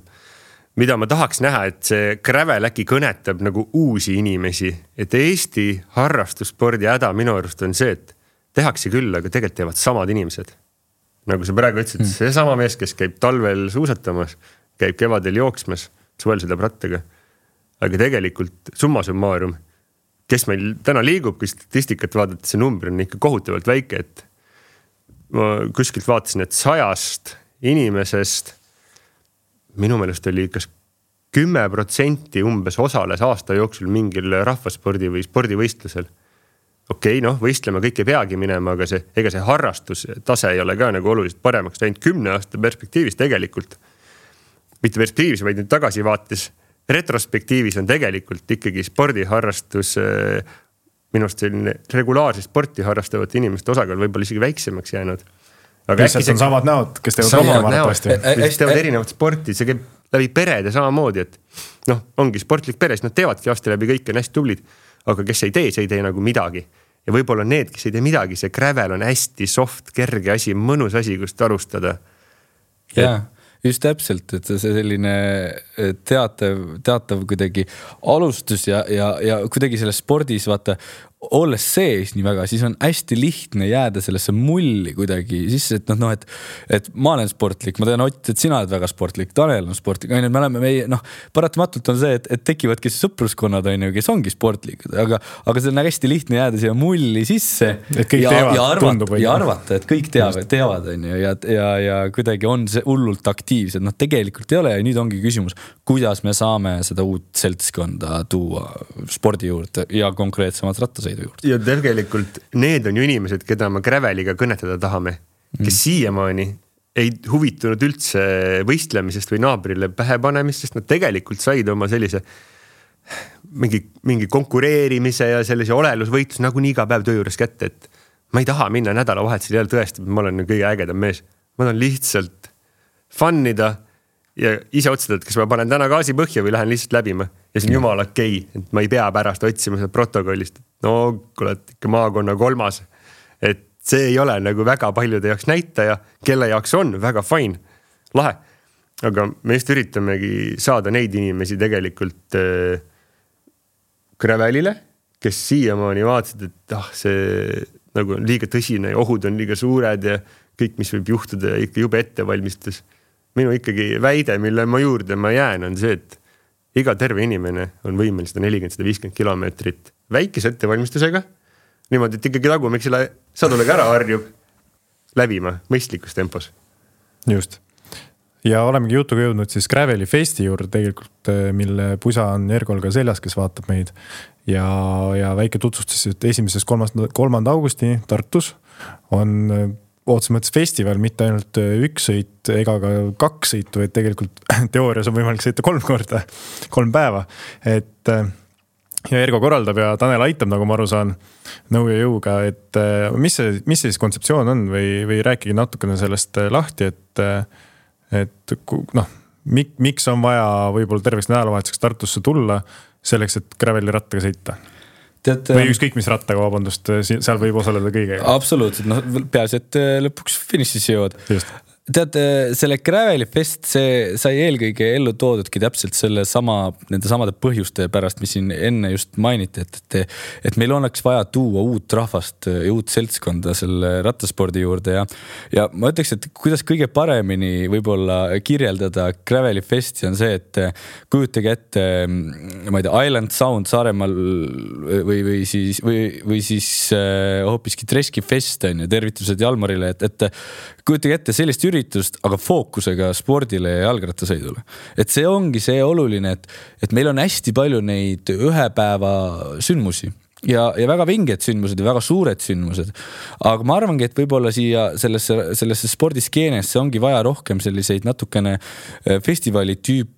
mida ma tahaks näha, et see Gravel äkki kõnetab uusi inimesi, et Eesti harrastusspordi häda minu arust on see, et tehakse küll, aga tegelikult teevad samad inimesed. Nagu sa praegu ütlesid, see sama mees, kes käib talvel suusatamas, käib kevadel jooksmas, suvel sõidab rattaga. Aga tegelikult summa summarum, kes meil täna liigub, kui statistikat vaadata, see number on ikka kohutavalt väike, et ma kuskilt vaatasin, et 100 inimesest minu meelest oli kas 10% umbes osales aasta jooksul mingil rahvaspordi või spordivõistlusel. Okei, võistlema kõik ei peagi minema, aga ega see harrastus tase ei ole ka oluliselt paremaks läinud 10 aasta perspektiivis tegelikult. Mitte perspektiivis, vaid nüüd tagasi vaates. Retrospektiivis on tegelikult ikkagi spordiharrastus minust selline regulaarse sporti harrastavate inimeste osakaal võib-olla isegi väiksemaks jäänud. lihtsalt on samad näod, kes teevad rohkem arvatavasti. Kes teevad erinevat sporti, see käib läbi perede samamoodi, et noh, ongi sportlik peres, nad teevadki aasta läbi kõik on hästi tublid, aga kes ei tee nagu midagi. Ja võib-olla need, kes ei tee midagi, see gravel on hästi soft, kerge asi, mõnus asi, kust alustada. Jaa, just täpselt, et see selline teatav kuidagi alustus ja kuidagi selles spordis, vaata, olles sees nii väga, siis on hästi lihtne jääda sellesse mulli kuidagi sisse, et et ma olen sportlik, ma tean Ott, et sina oled väga sportlik, Tanel on sportlik, me oleme paratamatult on see, et tekivadki sõpruskonnad, kes ongi sportlikud, aga see on hästi lihtne jääda siia mulli sisse ja arvata, et kõik teavad ja kuidagi on see hullult aktiivsed, tegelikult ei ole ja nüüd ongi küsimus, kuidas me saame seda uut seltskonda tuua spordi juurde ja konkreetsemalt rattasõidu juurde. Ja tegelikult need on ju inimesed, keda me graveliga kõnetada tahame, kes siiamaani ei huvitunud üldse võistlemisest või naabrile pähe panemist, sest nad tegelikult said oma sellise mingi konkureerimise ja sellise olelusvõitlus nagu nii iga päev töö juures kätte, et ma ei taha minna nädalavahetusel jälle tõestada, et ma olen kõige ägedam mees. Ma tahan lihtsalt fannida ja ise otsustada, et kas ma panen täna gaasi põhja või lähen lihtsalt läbima. Ja see on jumala okei, et ma ei pea pärast otsima seda protokollist. No, kui oled ikka maakonna 3. Et see ei ole nagu väga paljude jaoks näitaja, kelle jaoks on väga fine, lahe. Aga me just üritamegi saada neid inimesi tegelikult gravelile, kes siiamaani vaatasid, et see nagu on liiga tõsine ja ohud on liiga suured ja kõik, mis võib juhtuda ja ikka jube ettevalmistus. Minu ikkagi väide, mille ma juurde ma jään, on see, et iga terve inimene on võimeline 140-150 kilomeetrit väikese ettevalmistusega. Niimoodi, et ikkagi tagumiksele sadulega ära harjub läbima mõistlikus tempos. Just. Ja olemegi jutuga jõudnud siis Graveli festi juurde tegelikult, mille pusa on Ergol ka seljas, kes vaatab meid. Ja väike tutvustus, et 1.–3. augusti Tartus on otse mõttes festival, mitte ainult üks sõit ega ka 2 sõitu, et tegelikult teoorias on võimalik sõita 3 korda, 3 päeva. Et ja Ergo korraldab ja Tanel aitab, nagu ma aru saan, nõu ja jõuga, et mis see siis kontseptsioon on või rääkige natukene sellest lahti, et miks on vaja võib-olla terveks nädalavahetuseks Tartusse tulla selleks, et graveli rattaga sõita? Või ükskõik mis rattaga, vabandust, seal võib osaleda kõigega. Absoluutselt, peaasi, et lõpuks finišis jõuad. Just. Tead, selle Graveli fest, see sai eelkõige ellu toodudki täpselt nende samade põhjuste pärast, mis siin enne just mainiti, et meil oleks vaja tuua uut rahvast ja uut seltskonda selle rattaspordi juurde ja ma ütleks, et kuidas kõige paremini võib-olla kirjeldada Graveli festi on see, et kujutage ette, ma ei tea, Island Sound Saaremaal või siis hoopiski Treski fest on ja tervitused Jalmarile, et kujutage ette sellist üritust, aga fookusega spordile ja jalgrattasõidule. Et see ongi see oluline, et meil on hästi palju neid ühepäeva sündmusi ja väga vinged sündmused ja väga suured sündmused. Aga ma arvangi, et võib-olla siia sellesse spordiskeenesse ongi vaja rohkem selliseid natukene festivali tüüpi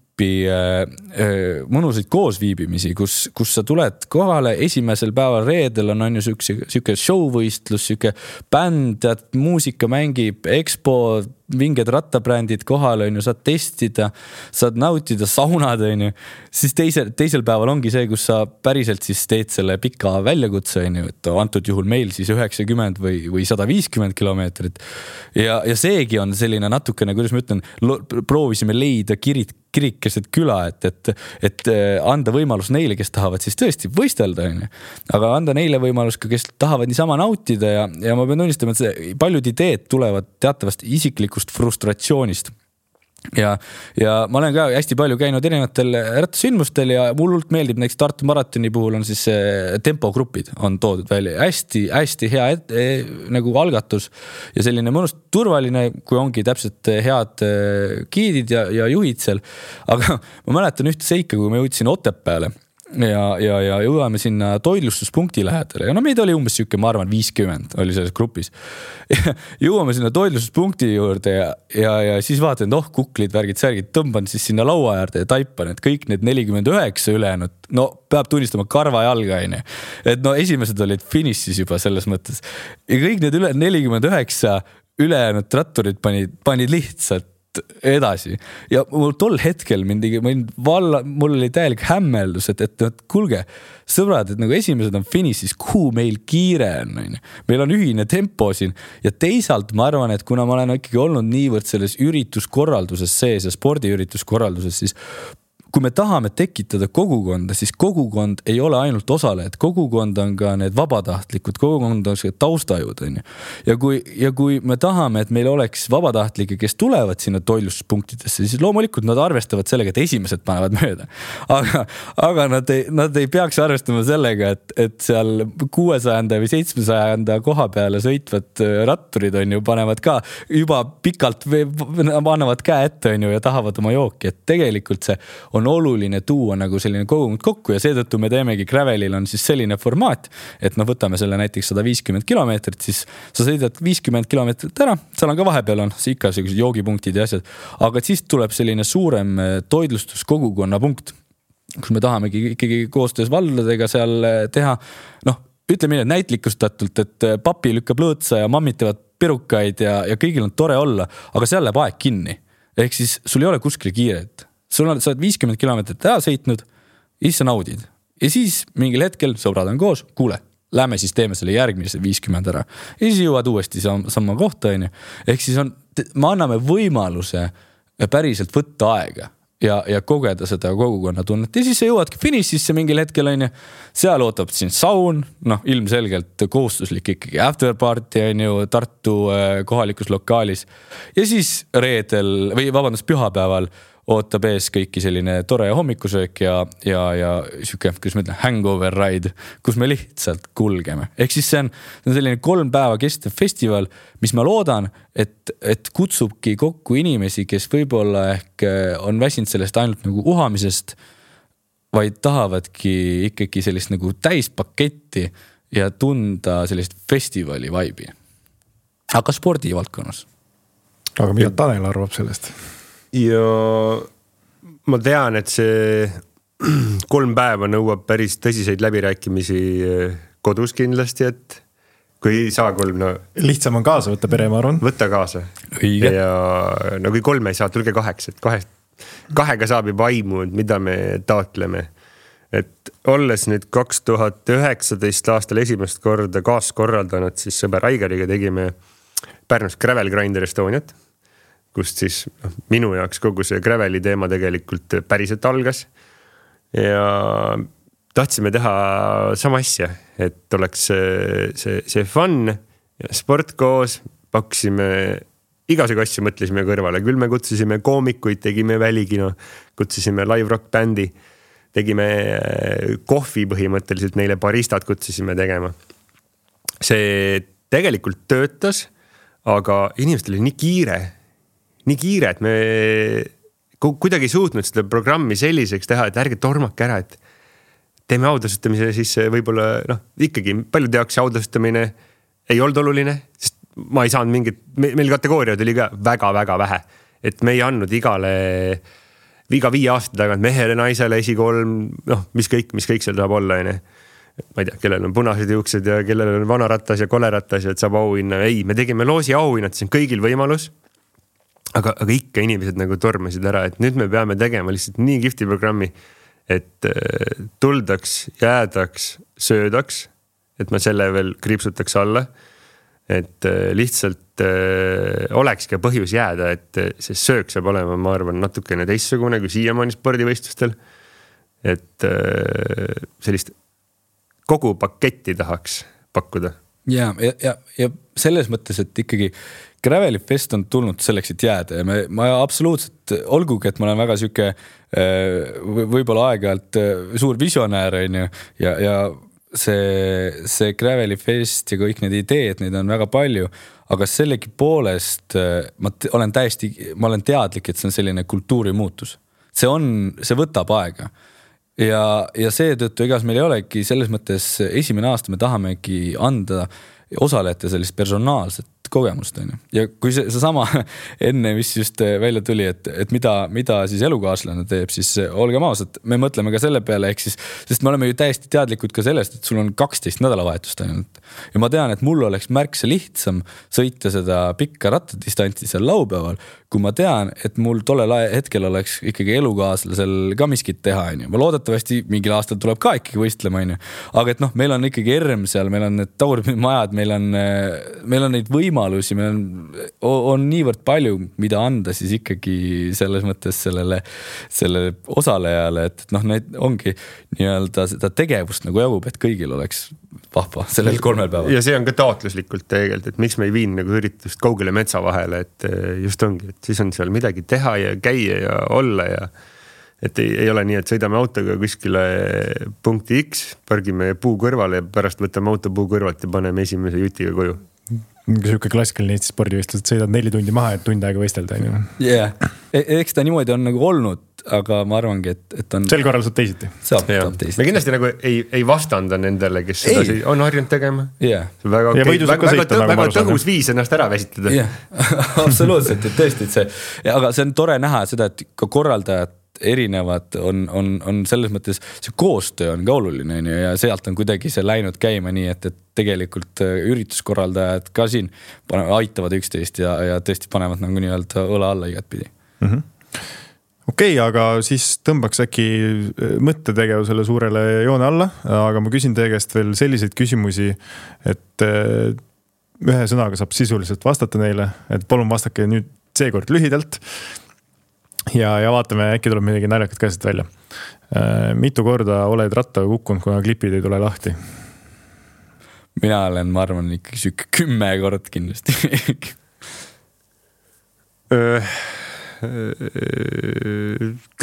mõnusaid koosviibimisi, kus sa tuled kohale esimesel päeval reedel on ju siuke showvõistlus, siuke bänd, muusika mängib, expo, vinged rattabrändid kohale on ju, saad testida, saad nautida saunad on ju, siis teisel päeval ongi see, kus sa päriselt siis teed selle pika väljakutse on ju, et antud juhul meil siis 90 või 150 kilomeetrit ja seegi on selline natukene, kuidas ma ütlen, proovisime leida kirikeset küla, et anda võimalus neile, kes tahavad siis tõesti võistelda, aga anda neile võimalus ka, kes tahavad niisama nautida ja ma pean tunnistama, et paljud ideed tulevad teatavast isiklikust frustratsioonist. Ja ma olen ka hästi palju käinud erinevatel rattasündmustel ja mullult meeldib näiteks Tartu maratoni puhul on siis tempogrupid on toodud välja. Hästi hea nagu algatus ja selline mõnust turvaline, kui ongi täpselt head giidid ja juhid seal. Aga ma mäletan ühte seika, kui ma jõudsin Otepääle ja jõuame sinna toidlustuspunkti lähedale ja meid oli umbes siuke, ma arvan 50 oli selles grupis jõuame sinna toidlustuspunkti juurde ja siis vaatan, et kuklid, värgid, särgid tõmban siis sinna laua äärde ja taipan, et kõik need 49 ülejäänud, peab tunnistama karva jalga et esimesed olid finišis juba selles mõttes ja kõik need üle 49 ülejäänud ratturid panid lihtsalt edasi ja mul tol hetkel mul oli täielik hämmeldus, et kuulge, sõbrad, et nagu esimesed on finišis, kuhu meil kiire on. Meil on ühine tempo siin ja teisalt ma arvan, et kuna ma olen ikkagi olnud niivõrd selles ürituskorralduses sees ja spordiürituskorralduses, siis kui me tahame tekitada kogukonda, siis kogukond ei ole ainult osalejad, kogukond on ka need vabatahtlikud, kogukond on see taustajud. Ja kui me tahame, et meil oleks vabatahtlikke, kes tulevad sinna toitlustuspunktidesse, siis loomulikult nad arvestavad sellega, et esimesed panevad mööda. Aga nad ei peaks arvestama sellega, et seal 600 või 700 koha peale sõitvad ratturid panevad ka juba pikalt, annavad käe ette ja tahavad oma jooki, et tegelikult see on oluline tuua nagu selline kogukond kokku ja seetõttu me teemegi Gravelil on siis selline formaat, et võtame selle näiteks 150 kilomeetrit, siis sa sõidad 50 kilomeetrit ära, seal on ka vahepeal on ikka sellised joogipunktid ja asjad, aga siis tuleb selline suurem toitlustuskogukonna punkt, kus me tahamegi ikkagi koostöös valdadega seal teha, ütleme näitlikustatult, et papi lükkab lõõtsa ja mammitevad pirukaid ja kõigil on tore olla, aga seal läheb aeg kinni. Ehk siis sul ei ole kuskil kiiret. Sa oled 50 kilomeetrit ära sõitnud ja siis sa naudid. Ja siis mingil hetkel sõbrad on koos, kuule, lähme siis teeme selle järgmise 50 ära. Ja siis jõuad uuesti sama kohta. Ehk siis me anname võimaluse päriselt võtta aega ja kogeda seda kogukonna tunnet. Ja siis sa jõuadki finišisse mingil hetkel. Seal ootab siin saun, ilmselgelt kohustuslik ikkagi afterparty Tartu kohalikus lokaalis. Ja siis reedel või pühapäeval ootab ees kõiki selline tore hommikusöök ja siuke, kus ma ütlen, hangover ride, kus me lihtsalt kulgeme. Ehk siis see on selline 3 päeva kestev festival, mis ma loodan, et kutsubki kokku inimesi, kes võib-olla ehk on väsinud sellest ainult nagu uhamisest, vaid tahavadki ikkagi sellist nagu täispaketti ja tunda sellist festivali vaibi. Aga spordivaldkonnas. Aga mida Tanel arvab sellest? Ja ma tean, et see 3 päeva nõuab päris tõsiseid läbirääkimisi kodus kindlasti, et kui ei saa 3, lihtsam on kaasa võtta pere, ma arvan. Võtta kaasa. Õige. Ja kui 3 ei saa, tulge 8, et 2 saab juba aimu, mida me taotleme. Et olles nüüd 2019 aastal esimest korda kaaskorraldanud, siis sõber Aigariga tegime Pärnus Gravel Grinder Estoniat, kust siis minu jaoks kogu see Graveli teema tegelikult päriselt algas ja tahtsime teha sama asja, et oleks see fun ja sport koos, pakkusime igasugu asju, mõtlesime kõrvale, küll me kutsusime koomikuid, tegime välikino, kutsusime live rock bändi, tegime kohvi põhimõtteliselt, neile baristad kutsusime tegema. See tegelikult töötas, aga inimestel oli nii kiire, et me kuidagi ei suutnud seda programmi selliseks teha, et ärge tormake ära, et teeme audasustamise, siis võib-olla ikkagi paljude jaoks audasutamine ei olnud oluline, sest ma ei saanud mingit, meil kategooriad oli ka väga-väga vähe, et me ei andnud iga 5 aasta tagant mehele, naisele, esikoolm, mis kõik seal saab olla. Ma ei tea, kellel on punased juuksed ja kellel on vanaratas ja koleratas ja et saab auhinna. Ei, me tegime loosi auhinnad, see on kõigil võimalus. Aga ikka inimesed nagu tormasid ära, et nüüd me peame tegema lihtsalt nii kihvti programmi, et tuldaks, jäädaks, söödaks, et ma selle veel kriipsutaks alla, et lihtsalt oleks ka põhjus jääda, et see söök saab olema, ma arvan, natukene teissugune kui siiamaani spordivõistlustel, et sellist kogu paketti tahaks pakkuda. Ja selles mõttes, et ikkagi Graveli fest on tulnud selleks, et jääda ja ma absoluutselt, olgugi, et ma olen väga süke võib-olla aeg-ajalt suur visionäär ja see Graveli fest ja kõik need ideed, neid on väga palju, aga sellegi poolest ma olen teadlik, et see on selline kultuurimuutus. See võtab aega. Ja seetõttu igas meil ei olegi selles mõttes esimene aasta me tahamegi anda osalejate sellist personaalset aastast kogemust on ju. Ja kui see sama enne, mis just välja tuli, et mida siis elukaaslane teeb, siis olgem ausad, me mõtleme ka selle peale, ehk siis, sest me oleme ju täiesti teadlikud ka sellest, et sul on 12 nädalavahetust ainult. Ja ma tean, et mul oleks märksa lihtsam sõita seda pikka rattadistantsi seal laupäeval, kui ma tean, et mul tollel hetkel oleks ikkagi elukaaslasel ka miskit teha, on ju. Ma loodetavasti mingil aastal tuleb ka ikkagi võistlema, on ju. Aga et noh, meil on ikkagi ERM seal, meil on need tagurpidimajad, meil on neid võimalusi, meil on niivõrd palju, mida anda siis ikkagi selles mõttes sellele osalejale, et noh, need ongi nii-öelda seda tegevust nagu jagub, et kõigil oleks vahva sellel 3 päeval. Ja see on ka taotluslikult tegelikult, et miks me ei viin nagu üritust kaugele metsa vahele, et just ongi, et siis on seal midagi teha ja käia ja olla ja et ei ole nii, et sõidame autoga kuskile punkti X, pargime puu kõrvale ja pärast võtame auto puu kõrvalt ja paneme esimese jutiga koju. Siuke klassikaline Eesti spordivõistlus, et sõidad 4 tundi maha, et tund aega võistelda. Yeah. Eks ta niimoodi on nagu olnud, aga ma arvangi, et on... Sel korral saab teisiti. Saab teisiti. Me kindlasti nagu ei vastanda nendele, kes seda on harjunud tegema. Yeah. Väga tõhus viis ennast ära väsitada. Yeah. Absoluutselt, et tõesti, et see... Aga see on tore näha seda, et ka korraldajad erinevad on selles mõttes, see koostöö on ka oluline ja sealt on kuidagi see läinud käima nii, et tegelikult ürituskorraldajad ka siin aitavad üksteist ja tõesti panevad nagu nii-öelda õla alla igatpidi. Okei, aga siis tõmbaks äkki mõttetegevusele suurele joone alla, aga ma küsin teie käest veel selliseid küsimusi, et ühe sõnaga saab sisuliselt vastata neile, et palun vastake nüüd seekord lühidalt. Ja vaatame, äkki tuleb midagi naljakat käest välja. Mitu korda oled rattaga kukkunud, kuna klipid ei tule lahti? Mina olen, ma arvan, ikkagi sükke 10 kord kindlasti.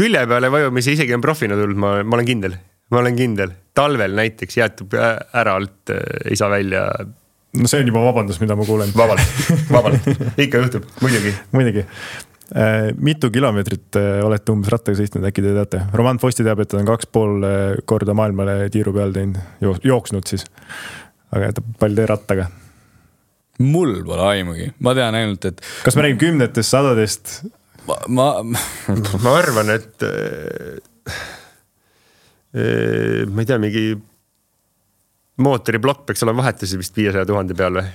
Külje peale vajumise isegi on profina tulnud, ma olen kindel. Ma olen kindel. Talvel näiteks jäetub ära alt, ei saa välja. No see on juba vabandus, mida ma kuulen. Vabalt. Ikka juhtub, muidugi. Mitu kilomeetrit olete umbes rattaga sõitnud, äkki te teate? Roman Fosti teab, et on 2,5 korda maailmale tiiru peal teinud, jooksnud siis. Aga palju tee rattaga? Mul pole aimugi. Ma tean ainult, et... Kas me räägime 10-test, 100-test? Ma arvan, et ma ei tea, mingi mootoriblokk peaks olema vahetusi vist 500 000 peal või?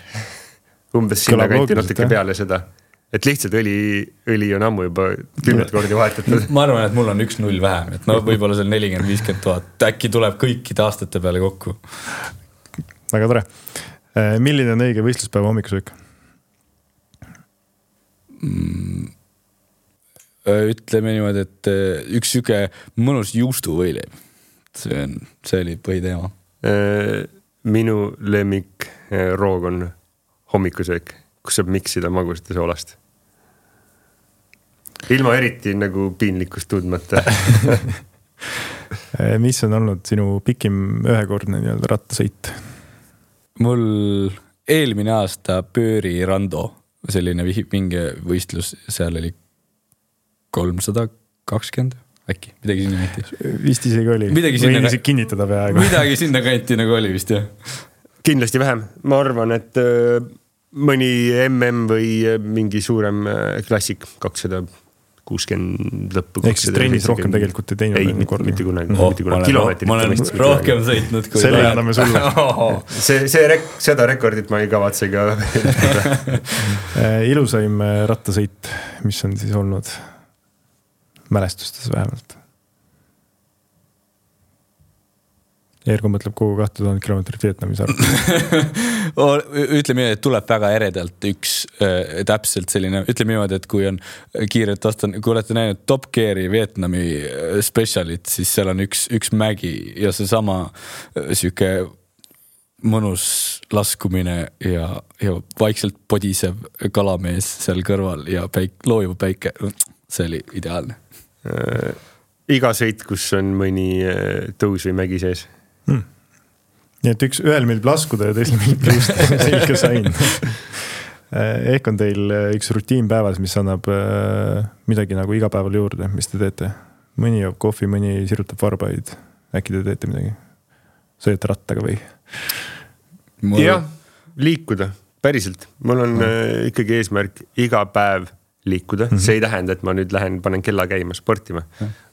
Umbes sinna kanti natuke peale seda. Et lihtsalt õli on ammu juba 10 kordi vahetatud. Ma arvan, et mul on 1-0 vähem, et no võib-olla seal 40-50 000. Äkki tuleb kõikide aastate peale kokku. Väga tore. Milline on õige võistluspäeva hommikusöök? Ütleme niimoodi, et üks süke mõnus juustu võileib. See oli põhiteema. Minu lemmik roog on hommikusöök, kus saab miksida magusat ja soolast. Ilma eriti nagu piinlikkust tundmata. Mis on olnud sinu pikim ühekordne nii-öelda rattasõit? Mul eelmine aasta Pööri Rando, selline vinge võistlus, seal oli 320 äkki, midagi sinna kanti. Vist isegi oli. Võin isegi kinnitada peaaegu. Midagi sinna kanti nagu oli vist, jah. Kindlasti vähem. Ma arvan, et mõni MM või mingi suurem klassik 260 lõppu. Ehk siis trennis rohkem tegelikult ei teinud? Ei, mitte kunagi. Kilomeetrit. Ma olen rohkem sõitnud kui... Selle anname sulle. Seda rekordit ma ei kavatse ka. Ilusaim rattasõit, mis on siis olnud mälestustes vähemalt? Ergo mõtleb kogu 2000 kilomeetrit Vietnamis arv. Ütleme, et tuleb väga eredalt üks täpselt selline, ütleme niimoodi, et kui on kiirelt vastan, kui olete näinud Top Geari Vietnami specialit, siis seal on üks mägi ja see sama süke mõnus laskumine ja vaikselt podisev kalamees seal kõrval ja loojuv päike. See oli ideaalne. Iga sõit, kus on mõni tõus või mägi sees. Nii et ühel meeldib laskuda ja teisel meeldib juusta, selge sain. Ehk on teil üks rutiin päevas, mis annab midagi nagu iga päeval juurde, mis te teete? Mõni joob kohvi, mõni sirutab varbaid. Äkki te teete midagi? Sõidate rattaga või? Jah, liikuda. päriselt, mul on ikkagi eesmärk iga päev liikuda, see ei tähenda, et ma nüüd panen kella käima sportima.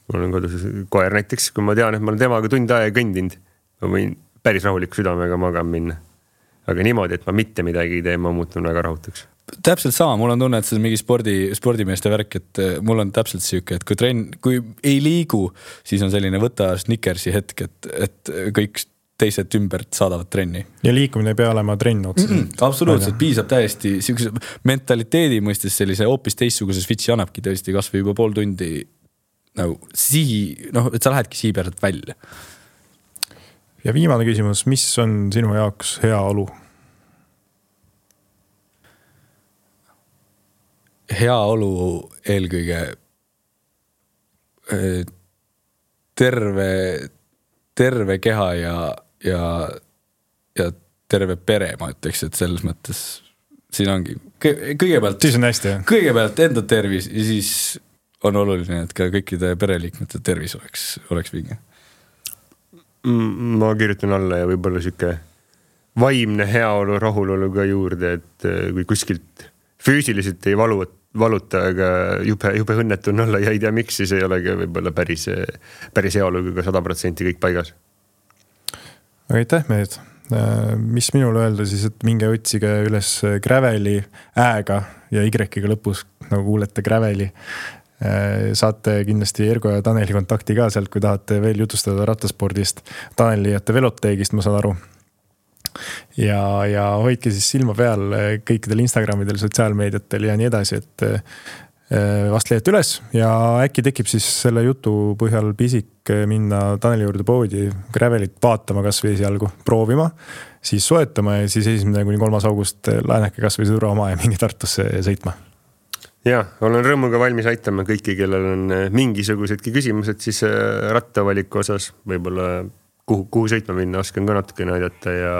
Mul on kodus koer näiteks, kui ma tean, et ma olen temaga tund aega kõndinud, ma võin päris rahuliku südamega magama minna. Aga niimoodi, et ma mitte midagi ei tee, ma muutun väga rahutuks. Täpselt sama, mul on tunne, et see on mingi spordimeeste värk, et mul on täpselt siuke, et kui ei liigu, siis on selline võta Snickersi hetk, et kõik teised ümbert saadavad trenni. Ja liikumine ei pea olema trenn otseselt. Absoluutselt, piisab täiesti siukese mentaliteedi mõistes sellise hoopis teistsuguse switchi annabki tõesti kas või juba pool tundi nagu et sa lähedki sihi pealt välja. Ja viimane küsimus, mis on sinu jaoks hea olu? Hea olu eelkõige terve keha ja terve pere, ma ütleks, et selles mõttes siin ongi kõigepealt siis on hästi, jah? Kõigepealt enda tervis ja siis on oluline, et ka kõikide pereliikmete tervis oleks vinge. Ma kirjutan alla ja võib-olla siuke vaimne heaolu, rahulolu ka juurde, et kui kuskilt füüsiliselt ei valuta, aga jube õnnetu on olla ja ei tea miks, siis ei olegi võib-olla päris heaolu ka 100% kõik paigas. Aitäh, mehed. Mis minul öelda siis, et minge otsige üles Graveli ääga ja Y-ga lõpus, nagu kuulete Graveli. Saate kindlasti Ergo ja Taneli kontakti ka sealt, kui tahate veel jutustada rattaspordist. Taneli jätte veloteegist, ma saan aru. Ja hoidke siis silma peal kõikidel Instagramidel, sotsiaalmeediatel ja nii edasi, et vast leiate üles ja äkki tekib siis selle jutu põhjal pisik minna Taneli juurde poodi Gravelit vaatama kas või esialgu proovima, siis soetama ja siis 1.–3. august laenake kas või sõdura oma ja mingi Tartusse sõitma. Ja, olen rõõmuga valmis aitama kõiki, kellel on mingisugusedki küsimused siis rattavaliku osas, võib-olla kuhu sõitma minna, oskan ka natukene aidata ja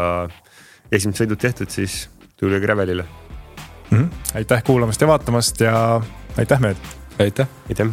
esimesed sõidud tehtud, siis tule Gravelile. Aitäh kuulamast ja vaatamast ja aitäh mehed! Aitäh! Aitäh!